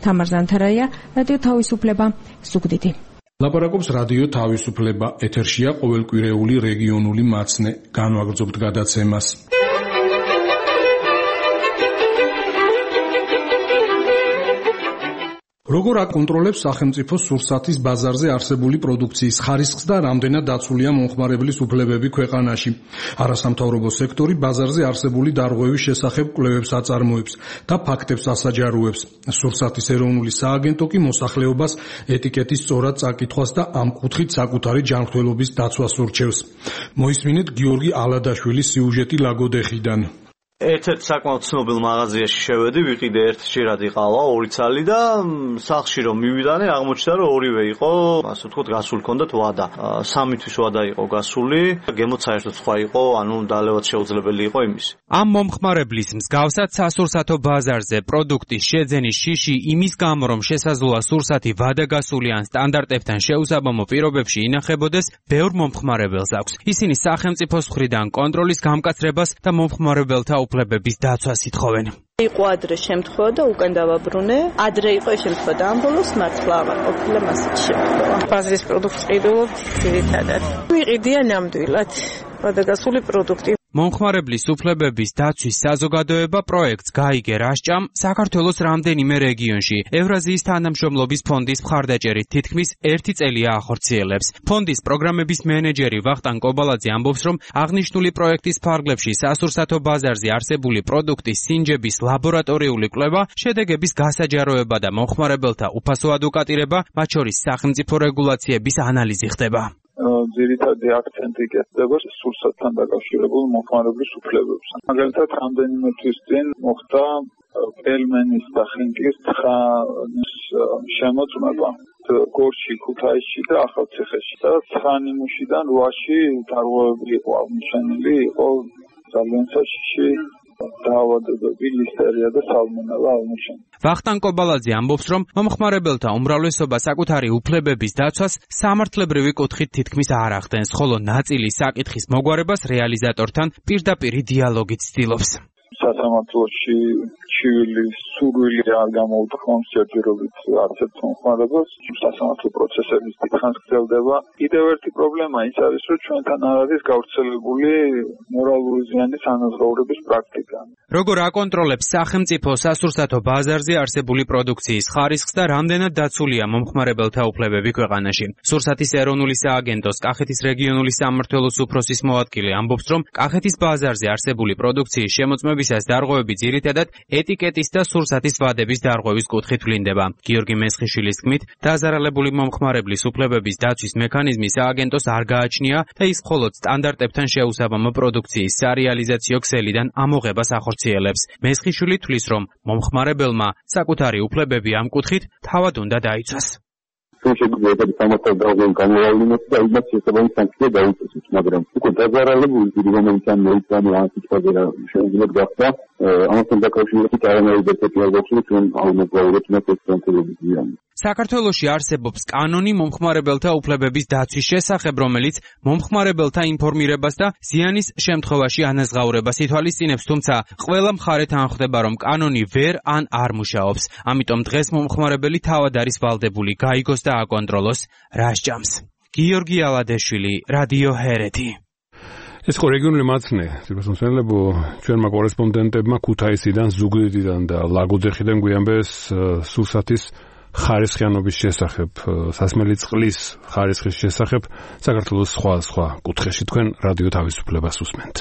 [SPEAKER 22] თამარ ზანთარაია, რადიო თავისუფლება, ზუგდიდი.
[SPEAKER 17] ლაპარაკობს რადიო თავისუფლება, ეთერშია ყოველკვირეული რეგიონული მაცნე. განვაგრძობთ გადაცემას. როგორ აკონტროლებს სახელმწიფო სურსათის ბაზარზე არსებული პროდუქციის ხარისხს და რამდენად დაცულია მომხმარებლის უფლებები ქვეყანაში? არასამთავრობო სექტორი ბაზარზე არსებული დარღვევის შესახებ კვლევებს აწარმოებს და ფაქტებს ასაჯაროებს. სურსათის ეროვნული სააგენტო კი მოსახლეობას ეტიკეტის სწორად წაკითხვას და ამ კუთხით საკუთარი ჯანმრთელობის დაცვას ურჩევს. მოისმინეთ გიორგი ალადაშვილის სიუჟეტი ლაგოდეხიდან.
[SPEAKER 8] ერთ-ერთ საკმაოდ ცნობილ მაღაზიაში შევედი, ვიყიდე ერთ შირადი ყავა, ორი ცალი და სახლში რომ მივიდანე, აღმოჩნდა რომ ორივე იყო, ასე ვთქვათ, გასული ჰქონდათ ვადა. სამი თვის ვადა იყო გასული, გემოც საერთოდ სხვა იყო, ანუ დალევაც შეუძლებელი იყო იმის.
[SPEAKER 10] ამ მომხმარებლის მსგავსად სასურსათო ბაზარზე პროდუქტის შეძენის შიში იმის გამო, რომ შესაძლოა სურსათი ვადაგასული ან სტანდარტებთან შეუსაბამო პირობებში ინახებოდეს, ბევრ მომხმარებელს აქვს. ისინი სახელმწიფოს მხრიდან კონტროლის გამკაცრებას და მომხმარებელთა უფლებების დაცვას ითხოვენ.
[SPEAKER 9] იყო ადრე შემთხვევა და უკან დავაბრუნე. ადრე იყო შემთხვევა და ამ ბოლოს მართლა აღარ ყოფილა მასეთი შემთხვევა. ბაზრის პროდუქტს ყიდულობ ძირითადად. ვიყიდია ნამდვილად ვადაგასული პროდუქტი.
[SPEAKER 10] მომხმარებლის უფლებების დაცვის საზოგადოება პროექტს გაიგე რასჭამ საქართველოს რამდენიმე რეგიონში ევრაზიის თანამშრომლობის ფონდის მხარდაჭერით თითქმის ერთი წელია ახორციელებს. ფონდის პროგრამების მენეჯერი ვახტანგ კობალაძე ამბობს, რომ აღნიშნული პროექტის ფარგლებში სასურსათო ბაზარზე არსებული პროდუქტის სინჯების ლაბორატორიული კვლევა, შედეგების გასაჯაროება და მომხმარებელთა უფასო ადვოკატირება, მათ შორის სახელმწიფო რეგულაციების ანალიზი ხდება.
[SPEAKER 6] ძირითადი აქცენტი კეთდება სურსათთან დაკავშირებულ მომხმარებლის უფლებებს. მაგალითად, რამდენიმე თვის წინ მოხდა პელმენის და ხინკის ცხანის შემოწმება გორში, ქუთაისში და ახალციხეში. და ცხანიმუშიდან რვაში დარღვევები იყო აღმოჩენილი, იყო ძალიან საშიში დაავადებები, ლისტერია და სალმონელა აღმოჩენილი.
[SPEAKER 10] ვახტანგ კობალაძე ამბობს, რომ მომხმარებელთა უმრავლესობა საკუთარი უფლებების დაცვას სამართლებრივი კუთხით თითქმის არ ახდენს, ხოლო ნაწილი საკითხის მოგვარებას რეალიზატორთან პირდაპირი დიალოგით ცდილობს.
[SPEAKER 6] სასამართლოში ჩივილის სურვილი არ გამოუთხოვს ჯერჯერობით არც ერთ მომხმარებელს. სასამართლო პროცესების დიდხანს გრძელდება. კიდევ ერთი პრობლემა ის არის, რომ ჩვენთან არ არის გავრცელებული მორალური ზიანის ანაზღაურების პრაქტიკა.
[SPEAKER 10] როგორ აკონტროლებს სახელმწიფო სასურსათო ბაზარზე არსებული პროდუქციის ხარისხს და რამდენად დაცულია მომხმარებელთა უფლებები ქვეყანაში? სურსათის ეროვნული სააგენტოს კახეთის რეგიონული სამმართველოს უფროსის მოადგილე ამბობს, რომ კახეთის ბაზარზე არსებული პროდუქციის შემოწმება ხმებისას დარღვევები ძირითადად ეტიკეტის და სურსათის ვადების დარღვევის კუთხით ვლინდება. გიორგი მესხიშვილის თქმით, დაზარალებული მომხმარებლის უფლებების დაცვის მექანიზმი სააგენტოს არ გააჩნია და ის მხოლოდ სტანდარტებთან შეუსაბამო პროდუქციის სარეალიზაციო ქსელიდან ამოღებას ახორციელებს. მესხიშვილი თვლის, რომ მომხმარებელმა საკუთარი უფლებები ამ კუთხით თავად უნდა დაიცვას.
[SPEAKER 5] შეგვიძლია სამართალ დარღვევის გამოავლინოთ და იმას შესაბამის სანქცია დაუწესოთ, მაგრამ უკვე დაზარალებული დიდი რომელიც ამ მოიწამე ამ სიტყვაზე რა შეიძლება გახდა ამასთან დაკავშირებით არანაირი დეტალი არ გვაქვს, რომ აღმოგვაუროთ მას ეს კონკრეტული ზიანი.
[SPEAKER 10] საქართველოში არსებობს კანონი მომხმარებელთა უფლებების დაცვის შესახებ, რომელიც მომხმარებელთა ინფორმირებას და ზიანის შემთხვევაში ანაზღაურებას ითვალისწინებს, თუმცა ყველა მხარეთან ხვდება, რომ კანონი ვერ ან არ მუშაობს. ამიტომ დღეს მომხმარებელი თავად არის ვალდებული გაიგოს და აკონტროლოს რა სჯამს. გიორგი ალადეშვილი, რადიო ჰერეთი.
[SPEAKER 2] ეს ხო რეგიონული მაცნე, სიბრასმოსმელებო, ჩვენმა კორესპონდენტებმა ქუთაისიდან, ზუგდიდიდან და ლაგოდეხიდან გვიამბეს სურსათის ხარისხიანობის შესახებ, სასმელი წყლის ხარისხის შესახებ საქართველოს სხვა სხვა კუთხეში. თქვენ რადიო თავისუფლებას უსმენთ.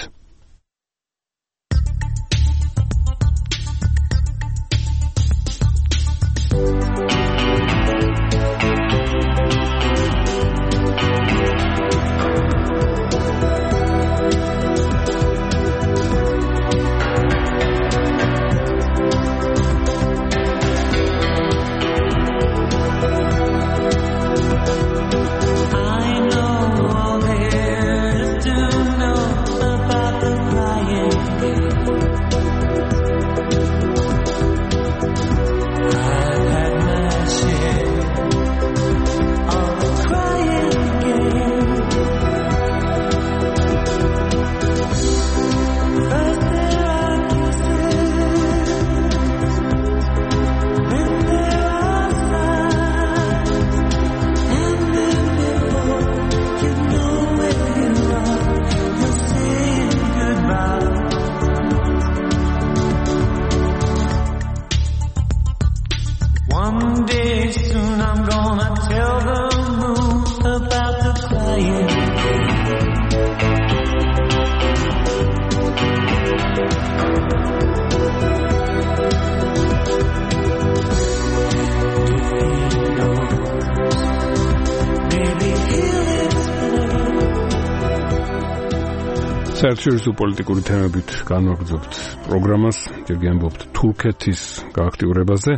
[SPEAKER 2] საერთაშორისო პოლიტიკური თემებით განვაგრძობთ პროგრამას, ჯერ გიამბობთ თურქეთის გააქტიურებაზე.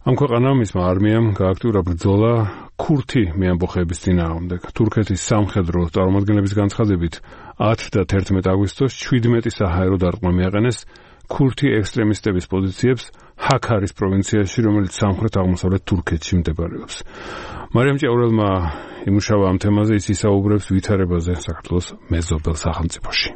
[SPEAKER 2] ამ ქვეყანამ მისმა არმიამ გააქტიურა ბრძოლა ქურთი მეამბოხეების წინააღმდეგ. თურქეთის სამხედრო წარმომადგენლების განცხადებით ათი და თერთმეტი აგვისტოს შვიდმეტი საჰაერო დარტყმა მიაყენეს ქურთი ექსტრემისტების პოზიციებს ჰაქარის პროვინციაში, რომელიც სამხრეთ-აღმოსავლეთ თურქეთში მდებარეობს. მარიამ ჭეურელმა იმუშავა ამ თემაზე, ის ისაუბრებს ვითარებაზე საქართველოს მეზობელ სახელმწიფოში.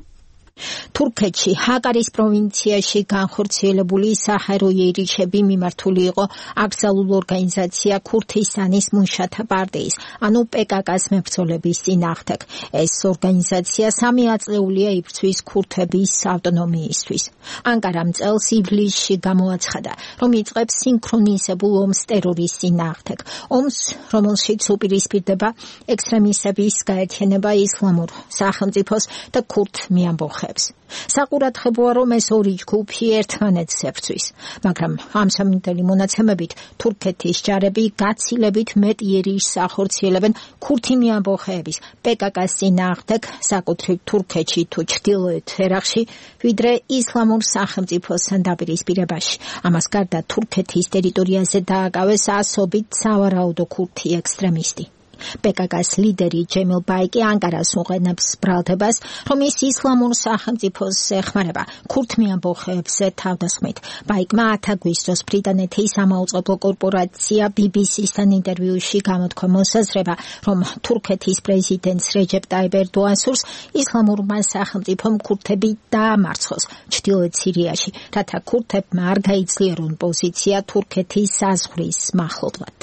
[SPEAKER 11] თურქეთში ჰაკარის პროვინციაში განხორციელებული საჰაერო იერიჩები მიმართული იყო აკრძალულ ორგანიზაცია ქურთისტანის მუშათა პარტიის, ანუ პეკაკას მებრძოლების წინააღმდეგ. ეს ორგანიზაცია სამი აწლეულია იბრძვის ქურთების ავტონომიისთვის. ანკარამ წელს ივლისში გამოაცხადა, რომ იწყებს სინქრონიზებულ ომს ტერორის წინააღმდეგ. ომს, რომელშიც უპირისპირდება ექსტრემისტების გაერთიანება ისლამურ სახელმწიფოს და ქურთ მეამბოხეებს. საყურადღებოა, რომ ეს ორი ჯგუფი ერთმანეთს ებრძვის, მაგრამ ამსამინდელი მონაცემებით თურქეთის ჯარები გაცილებით მეტ იერიშს ახორციელებენ ქურთი მეამბოხეების პეკაკას წინააღმდეგ საკუთრივ თურქეთში თუ ჩრდილოეთ ერაყში, ვიდრე ისლამურ სახელმწიფოსთან დაპირისპირებაში. ამას გარდა თურქეთის ტერიტორიაზე დააკავეს ასობით სავარაუდო ქურთი ექსტრემისტი. პეკაკას ლიდერი ჯემილ ბაიკი ანკარას უყენებს ბრალდებას, რომ ის ისლამურ სახელმწიფოს ეხმარება ქურთ მეამბოხეებზე თავდასხმით. ბაიკმა ათი აგვისტოს ბრიტანეთის სამაუწყებლო კორპორაცია ბი ბი სისთან ინტერვიუში გამოთქვა მოსაზრება, რომ თურქეთის პრეზიდენტს რეჯეპ ტაიპ ერდოანს სურს ისლამურმა სახელმწიფომ ქურთები დაამარცხოს ჩრდილოეთ სირიაში, რათა ქურთებმა არ გაიძლიერონ პოზიცია თურქეთის საზღვრის მახლობლად.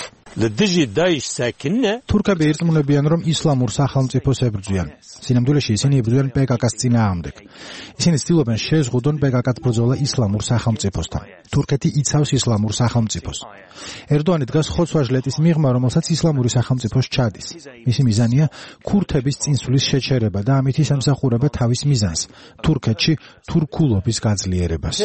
[SPEAKER 3] თურქები ირწმუნებიან, რომ ისლამურ სახელმწიფოს ებრძვიან. სინამდვილეში ისინი იბრძვიან პეკაკას წინააღმდეგ. ისინი ცდილობენ შეზღუდონ პეკაკას ბრძოლა ისლამურ სახელმწიფოსთან. თურქეთი იცავს ისლამურ სახელმწიფოს. ერდოანი დგას ხოცვა-ჟლეტის მიღმა, რომელსაც ისლამური სახელმწიფო სჩადის. მისი მიზანია ქურთების წინსვლის შეჩერება და ამით ის ემსახურება თავის მიზანს, თურქეთში თურქულობის გაძლიერებას.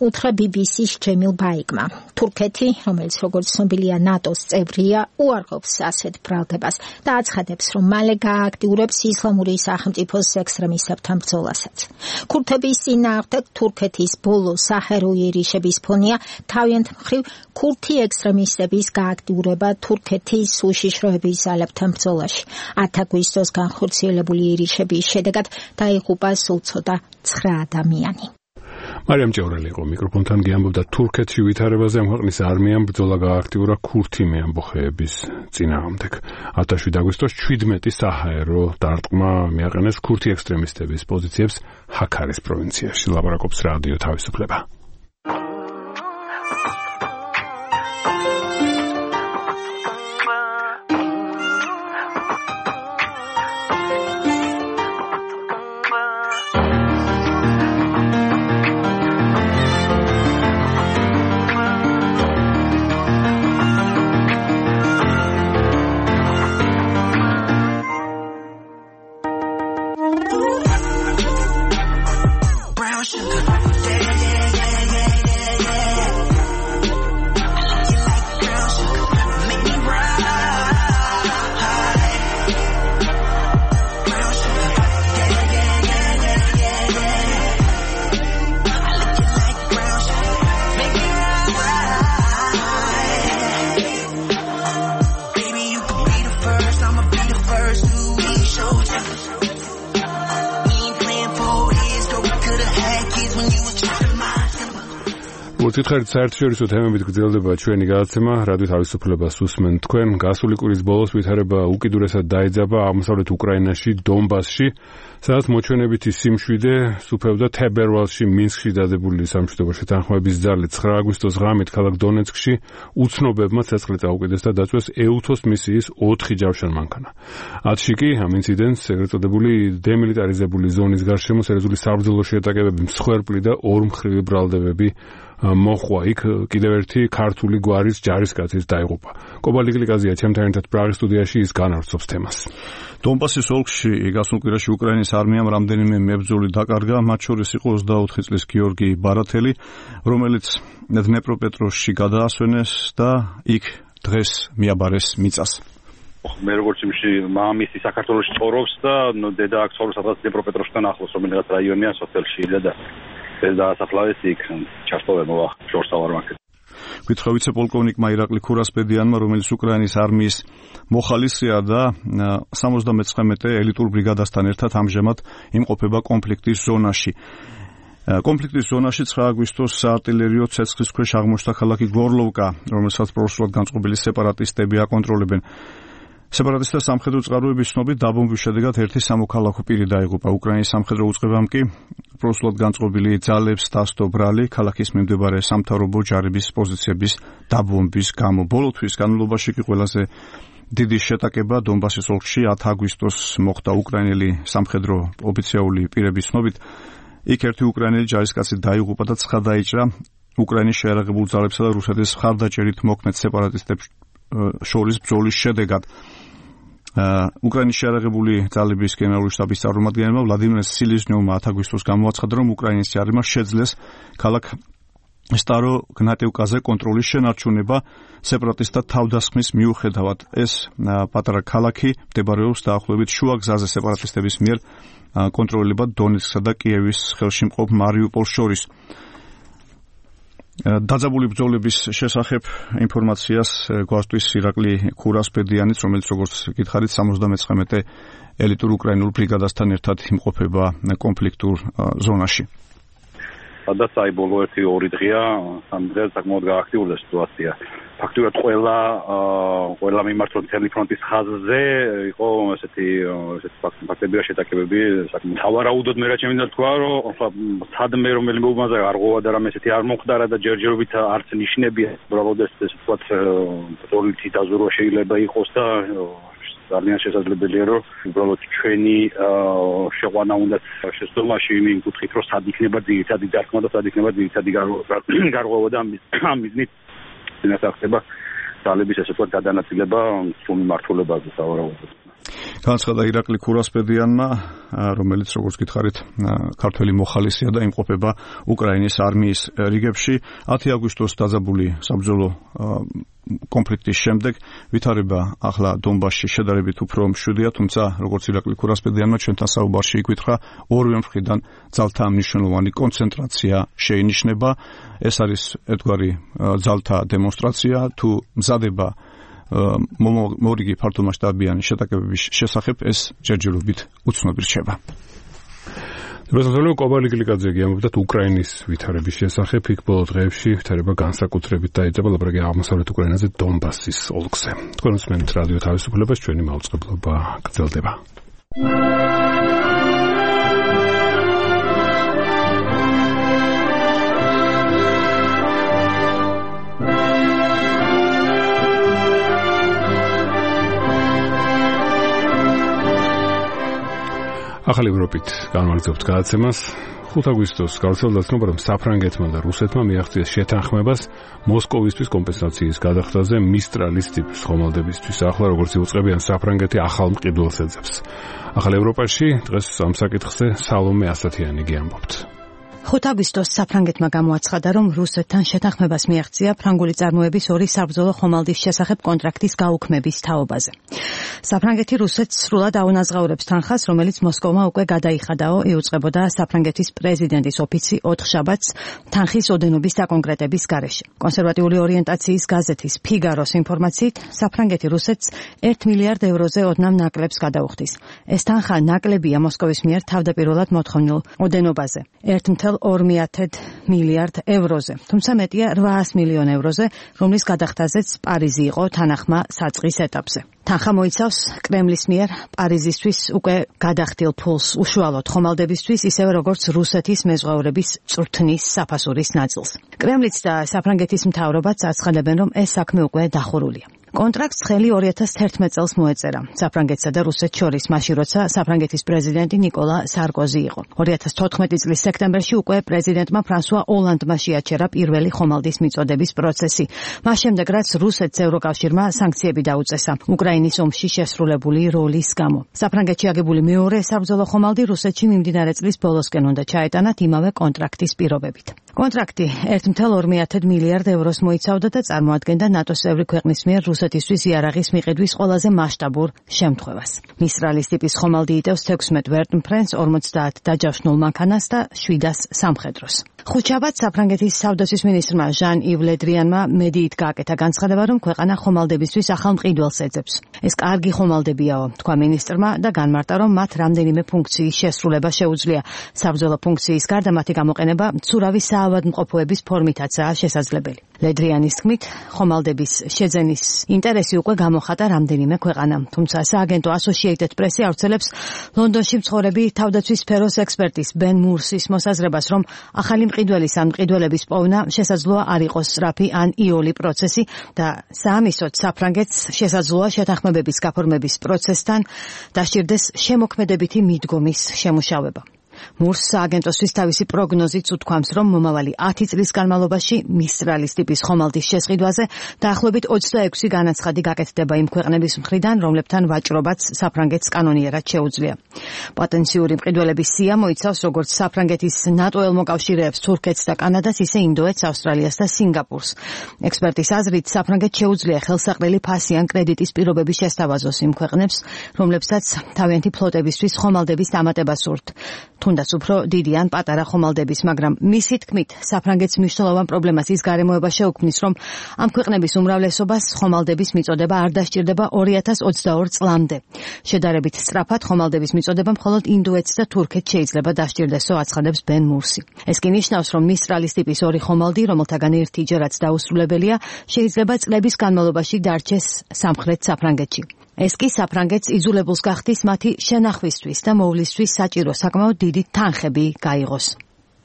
[SPEAKER 3] უთხრა ბი ბი სი-ს ჯემილ ბაიკმა. თურქეთი, რომელიც როგორც ცნობილია ნატოს წევრია, უარყოფს ასეთ ბრალდებას და აცხადებს, რომ მალე გააქტიურებს ისლამური სახელმწიფოს ექსტრემისტებთან ბრძოლასაც. ქურთების წინააღმდეგ თურქეთის ბოლო საჰაერო იერიშების ფონია თავიანთ მხრივ ქურთი ექსტრემისტების გააქტიურება თურქეთის უშიშროების ძალებთან ბრძოლაში. ათი აგვისტოს განხორციელებული იერიშების შედეგად დაიღუპა სულ ცოტა ცხრა ადამიანი.
[SPEAKER 2] მარიამ ჭევრელი იყო მიკროფონთან გიამბობდა თურქეთში ვითარებაზე. ამ ქვეყნის არმიამ ბრძოლა გააქტიურა ქურთი მეამბოხეების წინააღმდეგ. ათი აგვისტოს ჩვიდმეტი საჰაერო დარტყმა მიაყენეს ქურთი ექსტრემისტების პოზიციებს ჰაქარის პროვინციაში. ლაპარაკობს რადიო თავისუფლება. უთხრით საერთაშორისო თემებით გრძელდება ჩვენი გადაცემა. რადიო თავისუფლებას უსმენთ თქვენ. გასული კვირის ბოლოს ვითარება უკიდურესად დაიძაბა აღმოსავლეთ უკრაინაში, დონბასში, სადაც მოჩვენებითი სიმშვიდე სუფევდა თებერვალში მინსკში დადებული სამშვიდობო შეთანხმების ძალით. ცხრა აგვისტოს ღამით ქალაქ დონეცკში უცნობებმა ცეცხლი წაუკიდეს და დაწვეს ეუთოს მისიის ოთხი ჯავშან მანქანა. ათში კი ამ ინციდენტს ეგრეთ წოდებული დემილიტარიზებული ზონის გარშემო სერიოზული საბრძოლო შეტაკებები, მსხვერპლი და ორმხრივი ბრალდებები მოხვა. იქ კიდევ ერთი ქართული გვარის ჯარისკაცის დაიღუპა. კობალი გლიკაზია ჩემთან ერთად პრაღის სტუდიაში, ის განავრცობს თემას.
[SPEAKER 13] დონბასის ოლქში გასულ კვირაში უკრაინის არმიამ რამდენიმე მებრძოლი დაკარგა, მათ შორის იყო ოცდაოთხი წლის გიორგი ბარათელი, რომელიც დნეპროპეტროვსკში გადაასვენეს და იქ დღეს მიაბარეს მიწას.
[SPEAKER 14] მე როგორც იმში მამისი საქართველოს ცხოვრობს და დედა აქ ცხოვრობს სადღაც დნეპროპეტროვსკთან ახლოს, რომელიღაც რაიონია სოფელში და ეს დაასახლეს იქ ჩასტოვე მოვა შორს ავარ მაგ.
[SPEAKER 13] გითხრა ვიცე-პოლკოვნიკმა ირაკლი ქურასპედიანმა, რომელიც უკრაინის არმიის მოხალისეა და სამოცდამეცხრამეტე ელიტურ ბრიგადასთან ერთად ამჟამად იმყოფება კონფლიქტის ზონაში. კონფლიქტის ზონაში ცხრა აგვისტოს საარტილერიო ცეცხლის ქვეშ აღმოჩნდა ქალაქი გორლოვკა, რომელსაც პროსულად განწყობილი სეპარატისტები აკონტროლებენ. სეპარატისტთა სამხედრო წყაროების ცნობით დაბომბვის შედეგად ერთი სამოქალაქო პირი დაიღუპა. უკრაინის სამხედრო უწყებამ კი პროსულად განწყობილი ძალებს დასდო ბრალი ქალაქის მიმდებარე სამთავრობო ჯარების პოზიციების დაბომბვის გამო. ბოლო თვის განმავლობაში კი ყველაზე დიდი შეტაკება დონბასის ოლქში ათი აგვისტოს მოხდა. უკრაინელი სამხედრო ოფიციალური პირების ცნობით იქ ერთი უკრაინელი ჯარისკაცი დაიღუპა და ცხა დაიჭრა უკრაინის შეიარაღებულ ძალებსა და რუსეთის მხარდაჭერით მოქმედ სეპარატისტებს შორის ბრძოლის შედეგად. უკრაინის შეიარაღებული ძალების გენერალური შტაბის წარმომადგენელმა ვლადიმერ სილიზნიოვმა ათი აგვისტოს გამოაცხადა, რომ უკრაინის ჯარმა შეძლეს ქალაქ სტარო-გნატევკაზე კონტროლის შენარჩუნება სეპარატისტთა თავდასხმის მიუხედავად. ეს პატარა ქალაქი მდებარეობს დაახლოებით შუა გზაზე სეპარატისტების მიერ კონტროლებად დონეცკსა და კიევის ხელში მყოფ მარიუპოლს შორის. დაძაბული ბრძოლების შესახებ ინფორმაციას გვასწვის ირაკლი ქურასპედიანიც, რომელიც როგორც გითხარით სამოცდამეცხრამეტე ელიტურ უკრაინულ ბრიგადასთან ერთად იმყოფება კონფლიქტურ ზონაში.
[SPEAKER 14] სადაც აი ბოლო ერთი ორი დღეა სამ დღე საკმაოდ გააქტიურდა სიტუაცია. ფაქტობრივად ყველა ყველა მიმართულ მთელი ფრონტის ხაზზე იყო ესეთი ესეთი ფაქტებია შეტაკებები საკმაოდ თავარაუდოდ მე რა შემიძლია თქვა რომ სადმე რომელი მომაზე არ ღვოვა და რამე ესეთი არ მომხდარა და ჯერჯერობით არც ნიშნებია უბრალოდ ეს ვთქვათ პოლიტი დაზურვა შეიძლება იყოს და ძალიან შესაძლებელია რომ უბრალოდ ჩვენი შეყვანა უნდა შესწავლაში იმ კუთხით რომ სად იქნება ძირითადი დარტყმა და სად იქნება ძირითადი გარღვევა და ამ მიზნით ინასახება ძალების ესე ვთქვათ გადანაწილება სულ მიმართულებაზე სავარაუდოდ.
[SPEAKER 13] განაცხადა ირაკლი ქურასპედიანმა, რომელიც როგორც გითხარით, ქართველი მოხალისეა და იმყოფება უკრაინის არმიის რიგებში. ათი აგვისტოს დაძაბული საბრძოლო კონფლიქტის შემდეგ ვითარება ახლა დონბასში შედარებით უფრო მშვიდია, თუმცა როგორც ირაკლი ქურასპედიანმა ჩვენთან საუბარში იკითხა, ორივე მხრიდან ძალთა მნიშვნელოვანი კონცენტრაცია შეინიშნება. ეს არის ერთგვარი ძალთა დემონსტრაცია, თუ მზადება მორიგი ფართომასშტაბიანი შეტაკებების შესახებ ეს ჯერჯერობით უცნობი რჩება. რუსეთელი კობალი გლიკაძე ამბობდა უკრაინის ვითარების შესახებ, იქ ბოლო დღეებში ვითარება განსაკუთრებით დაიწყება ლაპარაკი აღმოსავლეთ უკრაინაზე დონბასის ოლქზე. თქვენ უსმენთ რადიო თავისუფლებას, ჩვენი მაუწყებლობა გრძელდება. ახალი ევროპით განმარჯობთ გადაცემას. ხუთ აგვისტოს გავრცელდა ცნობა, რომ საფრანგეთმა და რუსეთმა მიაღწიეს შეთანხმებას მოსკოვისთვის კომპენსაციის გადახდაზე მისტრალის ტიპის ხომალდებისთვის. ახლა როგორც იუწყებიან საფრანგეთი ახალ მყიდველს ეძებს. ახალ ევროპაში დღეს ამ საკითხზე სალომე ასათიანი ამბობთ.
[SPEAKER 15] ხუთ აგვისტოს საფრანგეთმა გამოაცხადა, რომ რუსეთთან შეთანხმებას მიაღწია ფრანგული წარმოების ორი საბრძოლო ხომალდის შესახებ კონტრაქტის გაუქმების თაობაზე. საფრანგეთი რუსეთს სრულად აუნაზღაურებს თანხას, რომელიც მოსკოვმა უკვე გადაიხადაო, იუწყებოდა საფრანგეთის პრეზიდენტის ოფიცი ოთხშაბათს თანხის ოდენობის საკონკრეტების გარეშე. კონსერვატიული ორიენტაციის გაზეთის ფიგაროს ინფორმაციით, საფრანგეთი რუსეთს ერთ მილიარდ ევროზე ოდნავ ნაკლებს გადაუხდის. ეს თანხა ნაკლებია მოსკოვის მიერ თავდაპირველად მოთხოვნილ ოდენობაზე. ერთ ორ მილიარდ ევროზე, თუმცა მეტია რვაას მილიონ ევროზე, რომლის გადახდაზეც პარიზი იყო თანახმა საწყის ეტაპზე. თანხა მოიცავს კრემლის მიერ პარიზისთვის უკვე გადახდილ ფულს უშუალოდ ხომალდებისთვის, ისევე როგორც რუსეთის მეზღვაურების წვრთნის საფასურის ნაწილს. კრემლიც და საფრანგეთის მთავრობაც აცხადებენ, რომ ეს საქმე უკვე დახურულია. კონტრაქტს ხელი ორი ათას თერთმეტ წელს მოეწერა საფრანგეთსა და რუსეთს შორის, მაშინ როცა საფრანგეთის პრეზიდენტი ნიკოლა სარკოზი იყო. ორი ათას თოთხმეტი წლის სექტემბერში უკვე პრეზიდენტმა ფრანსუა ოლანდმა შეაჩერა პირველი ხომალდის მიწოდების პროცესი. მას შემდეგ, რაც რუსეთს ევროკავშირმა სანქციები დაუწესა უკრაინის ომში შესრულებული როლის გამო. საფრანგეთში აგებული მეორე საბრძოლო ხომალდი რუსეთში მიმდინარე წლის ბოლოსკენ უნდა ჩაეტანათ იმავე კონტრაქტის პირობებით. კონტრაქტი ერთ ორ მილიარდ ევროს მოიცავდა და წარმოადგენდა ნატოს წევრი ქვეყნის მიერ რუსეთისთვის იარაღის მიყიდვის ყველაზე მასშტაბურ შემთხვევას. მისტრალის ტიპის ხომალდი იტევს თექვსმეტ ვერტმფრენს, ორმოცდაათ დაჯავშნულ მანქანას და შვიდას სამხედროს. ხუთშაბათს საფრანგეთის თავდაცვის მინისტრმა ჟან-ივ ლედრიანმა მედიით გააკეთა განცხადება, რომ ქვეყანა ხომალდებისთვის ახალ მყიდველს ეძებს. ეს კარგი ხომალდებიაო, თქვა მინისტრმა და განმარტა, რომ მათ რამდენიმე ფუნქციის შესრულება შეუძლია. საბრძოლო ფუნქციის გარდა მათი გამოყენება მცურავი საავადმყოფოების ფორმითაცაა შესაძლებელი. ლედრიანის თქმით, ხომალდების შეძენის ინტერესი უკვე გამოხატა რამდენიმე ქვეყანამ, თუმცა სააგენტო Associated Press-ი ავრცელებს ლონდონში მცხოვრები თავდაცვის სფეროს ექსპერტის ბენ მურსის მოსაზრებას, რომ ახალი მყიდველის ან მყიდველების პოვნა შესაძლოა არ იყოს სწრაფი ან იოლი პროცესი და საამისოდ საფრანგეთს შესაძლოა შეთანხმებების გაფორმების პროცესთან დასჭირდეს შემოქმედებითი მიდგომის შემუშავება. მურს სააგენტოსთვის თავისი პროგნოზით უთქვამს, რომ მომავალი ათი წლის განმავლობაში მისტრალის ტიპის ხომალდის შესყიდვაზე დაახლოებით ოცდაექვსი განაცხადი გაკეთდება იმ ქვეყნების მხრიდან, რომლებთან ვაჭრობაც საფრანგეთს კანონიერად შეუძლია. პოტენციური მყიდველების სია მოიცავს როგორც საფრანგეთის ნატო-ელ მოკავშირეებს თურქეთს და კანადას, ისე ინდოეთს, ავსტრალიას და სინგაპურს. ექსპერტის აზრით, საფრანგეთს შეუძლია ხელსაყრელი ფასი ან კრედიტის პირობები შესთავაზოს იმ ქვეყნებს, რომლებსაც თავიანთი ფლოტებისთვის ხომალდების დამატება სურთ. თუნდაც უფრო დიდი ან პატარა ხომალდების, მაგრამ მისი თქმით, საფრანგეთს მნიშვნელოვან პრობლემას ის გარემოება შეუქმნის, რომ ამ ქვეყნების უმრავლესობას ხომალდების მიწოდება არ დასჭირდება ორი ათას ოცდაორ წლამდე. შედარებით სწრაფად ხომალდების მიწოდება მხოლოდ ინდოეთს და თურქეთს შეიძლება დასჭირდესო, აცხადებს ბენ მურსი. ეს კი ნიშნავს, რომ მისტრალის ტიპის ორი ხომალდი, რომელთაგან ერთი ჯერაც დაუსრულებელია, შეიძლება წლების განმავლობაში დარჩეს სამხრეთ საფრანგეთში. ეს კი საფრანგეთს იძულებულს გახდის მათი შენახვისთვის და მოვლისთვის საჭირო საკმაოდ დიდი თანხები გაიღოს.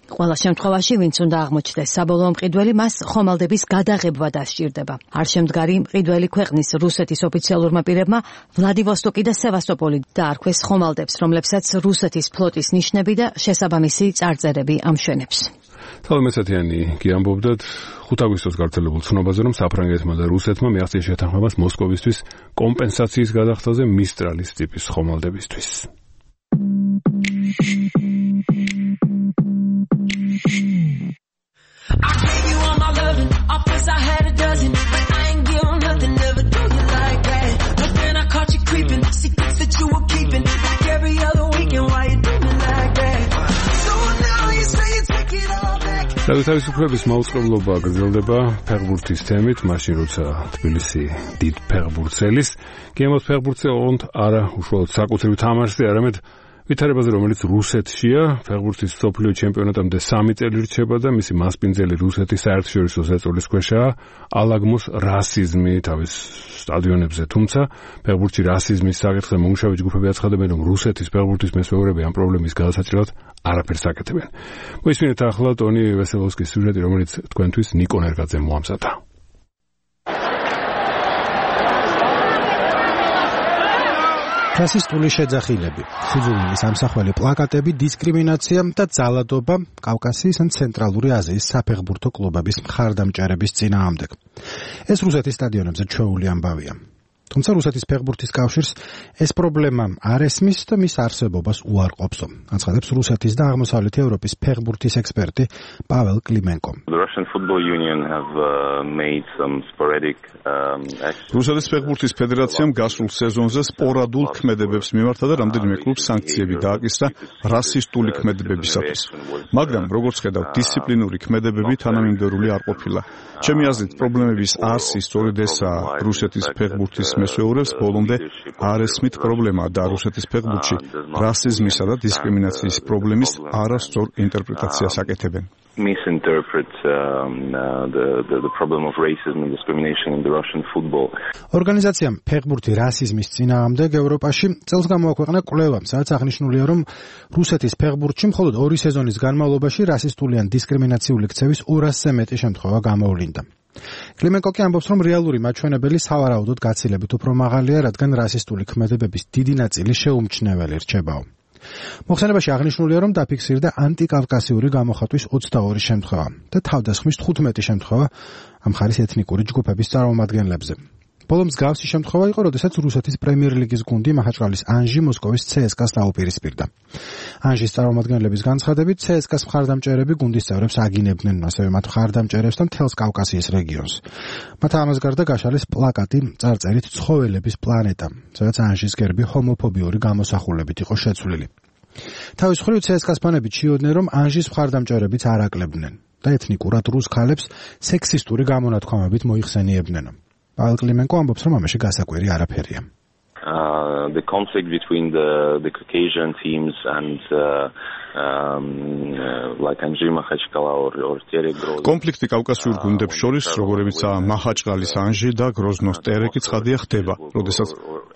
[SPEAKER 15] ყველა შემთხვევაში, ვინც უნდა აღმოჩნდეს საბოლოო მყიდველი, მას ხომალდების გადაღებვა დასჭირდება. არ შემდგარი მყიდველი ქვეყნის რუსეთის ოფიციალურმა პირებმა ვლადივოსტოკი და სევასტოპოლი დაარქვეს ხომალდებს, რომლებსაც რუსეთის ფლოტის ნიშნები და შესაბამისი წარწერები ამშვენებს.
[SPEAKER 2] თალმესათიანი კი ამბობდათ ხუთ აგვისტოს გავრცელებულ ცნობაზე, რომ საფრანგეთმა და რუსეთმა მიაღწია შეთანხმებას მოსკოვისთვის კომპენსაციის გადახდაზე მისტრალის ტიპის ხომალდებისთვის. I gave you all my loving, offers I had a dozen, but I ain't give you nothing, never do you like that. But then I caught you creeping, secrets that you were keeping, like every other weekend, why you do me like that? So now you say you take it all back. თავისუფლების მაუწყებლობა გრძელდება ფეხბურთის თემით, მაშინ როცა თბილისი დიდ ფეხბურთს ელის, გემოს ფეხბურთზე ოღონდ არა უშუალოდ საკუთრივ თამაშზე, არამედ ვითარებაზე, რომელიც რუსეთშია, ფეხბურთის მსოფლიო ჩემპიონატამდე სამი წელი რჩება და მისი მასპინძელი რუსეთის საერთაშორისო ზეწოლის ქვეშაა ალაგმოს რასიზმი თავის სტადიონებზე, თუმცა ფეხბურთში რასიზმის საკითხზე მომუშავე ჯგუფები აცხადებენ, რომ რუსეთის ფეხბურთის მესვეურები ამ პრობლემის გადასაჭრელად არაფერს აკეთებენ. მოისმინეთ ახლა ტონი ვესელოვსკის სიუჟეტი, რომელიც თქვენთვის ნიკო ნერგაძემ მოამზადა.
[SPEAKER 3] რასისტული შეძახილები, სიძულვილის ამსახველი პლაკატები, დისკრიმინაცია და ძალადობა კავკასიის ან ცენტრალური აზიის საფეხბურთო კლუბების მხარდამჭერების წინააღმდეგ. ეს რუსეთის სტადიონებზე ჩვეული ამბავია. თუმცა რუსეთის ფეხბურთის კავშირს ეს პრობლემა არ ესმის და მის არსებობას უარყოფსო. აცხადებს რუსეთის და აღმოსავლეთ ევროპის ფეხბურთის ექსპერტი პაվել კლიმენკო.
[SPEAKER 13] რუსეთის ფეხბურთის ფედერაციამ გასულ სეზონზე სპორადულ ქმედებებს მიმართა და რამდენიმე კლუბს სანქციები დააკისრა რასისტული ქმედებებისათვის. მაგრამ როგორც ხედავთ, დისციპლინური ქმედებები თანამიმდევრული არ ყოფილა. ჩემი აზრით, პრობლემების არსი სწორედ ესაა. რუსეთის ფეხბურთის მესვეურებს ბოლომდე არ ესმით პრობლემა და რუსეთის ფეხბურთში რასიზმისა და დისკრიმინაციის პრობლემის არასწორ ინტერპრეტაციას აკეთებენ.
[SPEAKER 16] misinterpret um, uh, the, the the problem of racism and discrimination in the Russian football.
[SPEAKER 3] ორგანიზაციამ ფეხბურთი რასიზმის წინააღმდეგ ევროპაში წელს გამოაქვეყნა კვლევა, სადაც აღნიშნულია, რომ რუსეთის ფეხბურთში მხოლოდ ორი სეზონის განმავლობაში რასისტული ან დისკრიმინაციული ქცევის ორასზე მეტი შემთხვევა გამოვლინდა. კლიმენკო კი ამბობს, რომ რეალური მაჩვენებელი სავარაუდოდ გაცილებით უფრო მაღალია, რადგან რასისტული ქმედებების დიდი ნაწილი შეუმჩნეველი რჩებაო. მოხსენებაში აღნიშნულია, რომ დაფიქსირდა ანტიკავკასიური გამოხატვის ოცდაორი შემთხვევა და თავდასხმის თხუთმეტი შემთხვევა ამ ხარის ეთნიკური ჯგუფების წარმომადგენლებზე. ბოლო მსგავსი შემთხვევა იყო, როდესაც რუსეთის პრემიერ ლიგის გუნდი მაჰაჩყალის ანჟი მოსკოვის ცსკას დაუპირისპირდა. ანჟის წარმომადგენლების განცხადებით, ცსკას მხარდამჭერები გუნდის წევრებს აგინებდნენ, ასევე მათ მხარდამჭერებს და მთელს კავკასიის რეგიონს. მათ ამას გარდა გაშალეს პლაკატი წარწერით "ცხოველების პლანეტა", სადაც ანჟის გერბი ჰომოფობიური გამოსახულებით იყო შეცვლილი. თავის მხრივ ცსკას ფანები ჩიოდნენ, რომ ანჟის მხარდამჭერებიც არ აკლებდნენ და ეთნიკურად რუს ქალებს სექსისტური გამონათქვამებით მოიხსენიებდნენ. პაվել კლიმენკო ამბობს, რომ ამაში გასაკვირი არაფერია.
[SPEAKER 16] Uh, the conflict between the the Caucasian teams and uh, um, uh, like Anzhi Makhachkala or or Teregrozno.
[SPEAKER 13] კონფლიქტი კავკასიურ გუნდებს შორის, როგორებიცაა მაჰაჩყალის ანჟი და გროზნოს ტერეკი, ცხადია ხდება, როდესაც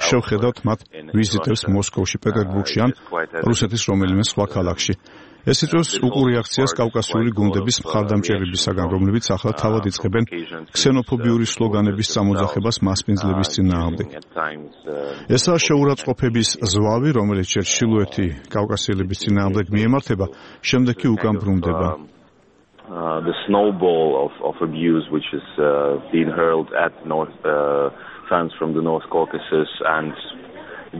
[SPEAKER 13] შევხედავთ მათ ვიზიტებს მოსკოვში, პეტერბურგში ან რუსეთის რომელიმე სხვა ქალაქში. ეს იწვევს უკუ რეაქციას კავკასიური გუნდების მხარდამჭერებისაგან, რომლებიც ახლა თავად იწყებენ ქსენოფობიური სლოგანების წამოძახებას მასპინძლების წინააღმდეგ. ესაა შეურაცხყოფების ზვავი, რომელიც ჯერ ჩრდილოეთი კავკასიელების წინააღმდეგ მიემართება, შემდეგ კი უკან ბრუნდება.
[SPEAKER 16] Uh, the snowball of, of abuse which is uh, being hurled at North uh, fans from the North Caucasus and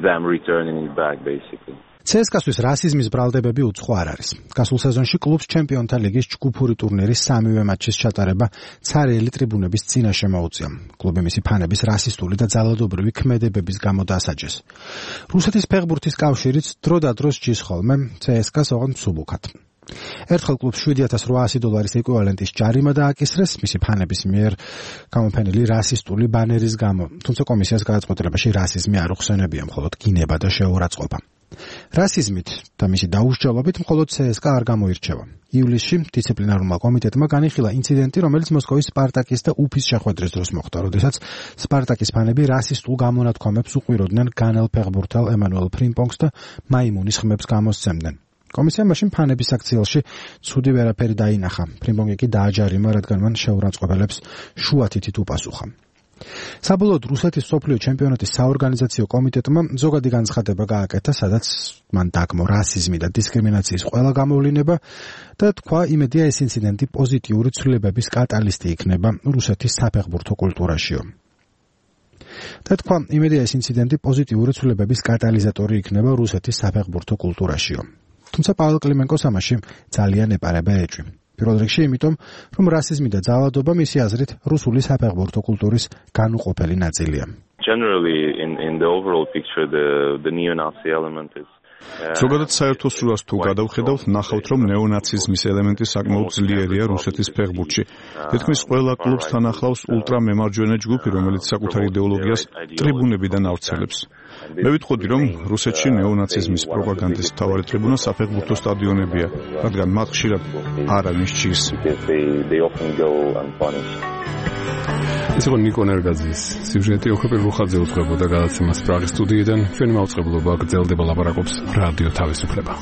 [SPEAKER 16] them returning it back basically.
[SPEAKER 3] ცსკა-თვის რასიზმის ბრალდებები უცხო არ არის. გასულ სეზონში კლუბს ჩემპიონთა ლიგის ჯგუფური ტურნირის სამივე მატჩის ჩატარება ცარიელი ტრიბუნების წინაშე მოუწია. კლუბი მისი ფანების რასისტული და ძალადობრივი ქმედებების გამო დასაჯეს. რუსეთის ფეხბურთის კავშირიც დროდადროს ჯის ხოლმე ცსკა-ს ოღონდ მსუბუქად. ერთხელ კლუბს შვიდი ათას რვაასი დოლარის ეკვივალენტის ჯარიმა დააკისრეს მისი ფანების მიერ გამოფენილი რასისტული ბანერის გამო, თუმცა კომისიას გადაწყვეტილებაში რასიზმი არ უხსენებია, მხოლოდ გინება და შეურაცხყოფა. რასიზმით და მისი დაუსჯელობით მხოლოდ ცსკა არ გამოირჩევა. ივლისში დისციპლინარულმა კომიტეტმა განიხილა ინციდენტი, რომელიც მოსკოვის სპარტაკის და უფის შეხვედრის დროს მოხდა, როდესაც სპარტაკის ფანები რასისტულ გამონათქვამებს უყურებდნენ განელ ფეხბურთელ ემანუელ ფრიმპონგს და მაიმუნის ხმებს გამოსცემდნენ. კომისიამ მაშინ ფანების აქციელში ცუდი ვერაფერი დაინახა. ფრიმპონგი კი დააჯარიმა, რადგან მან შეურაცხყოფელებს შუათითით უპასუხა. საბოლოოდ რუსეთის მსოფლიო ჩემპიონატის საორგანიზაციო კომიტეტმა ზოგადი განცხადება გააკეთა, სადაც მან დაგმო რასიზმი და დისკრიმინაციის ყველა გამოვლინება და თქვა, იმედია ეს ინციდენტი პოზიტიური ცვლილებების კატალისტი იქნება რუსეთის საფეხბურთო კულტურაშიო. და თქვა, იმედია ეს ინციდენტი პოზიტიური ცვლილებების კატალიზატორი იქნება რუსეთის საფეხბურთო კულტურაშიო. თუმცა პაველ კლიმენკოს ამაში ძალიან ეპარება ეჭვი. პირველ რიგში იმიტომ, რომ რასიზმი და ძალადობა მისი აზრით რუსული საფეხბურთო კულტურის განუყოფელი ნაწილია.
[SPEAKER 16] Generally in in the overall picture the the neo-Nazi element is
[SPEAKER 13] ზოგადად საერთო სურას თუ გადავხედავთ, ნახავთ, რომ ნეონაციზმის ელემენტი საკმაოდ ძლიერია რუსეთის ფეხბურთში. თითქმის ყველა კლუბს თან ახლავს ულტრამემარჯვენე ჯგუფი, რომელიც საკუთარ იდეოლოგიას ტრიბუნებიდან ავრცელებს. მე ვიტყოდი, რომ რუსეთში ნეონაციზმის პროპაგანდის მთავარი ტრიბუნა საფეხბურთო სტადიონებია, რადგან მათ ხშირად არავის ჭირს.
[SPEAKER 2] ეს იყო ნიკო ნერგაძის სიუჟეტი. ოქროპირ რუხაძე უძღვებოდა გადაცემას პრაღის სტუდიიდან. ჩვენი მაუწყებლობა გრძელდება, ლაპარაკობს რადიო თავისუფლება.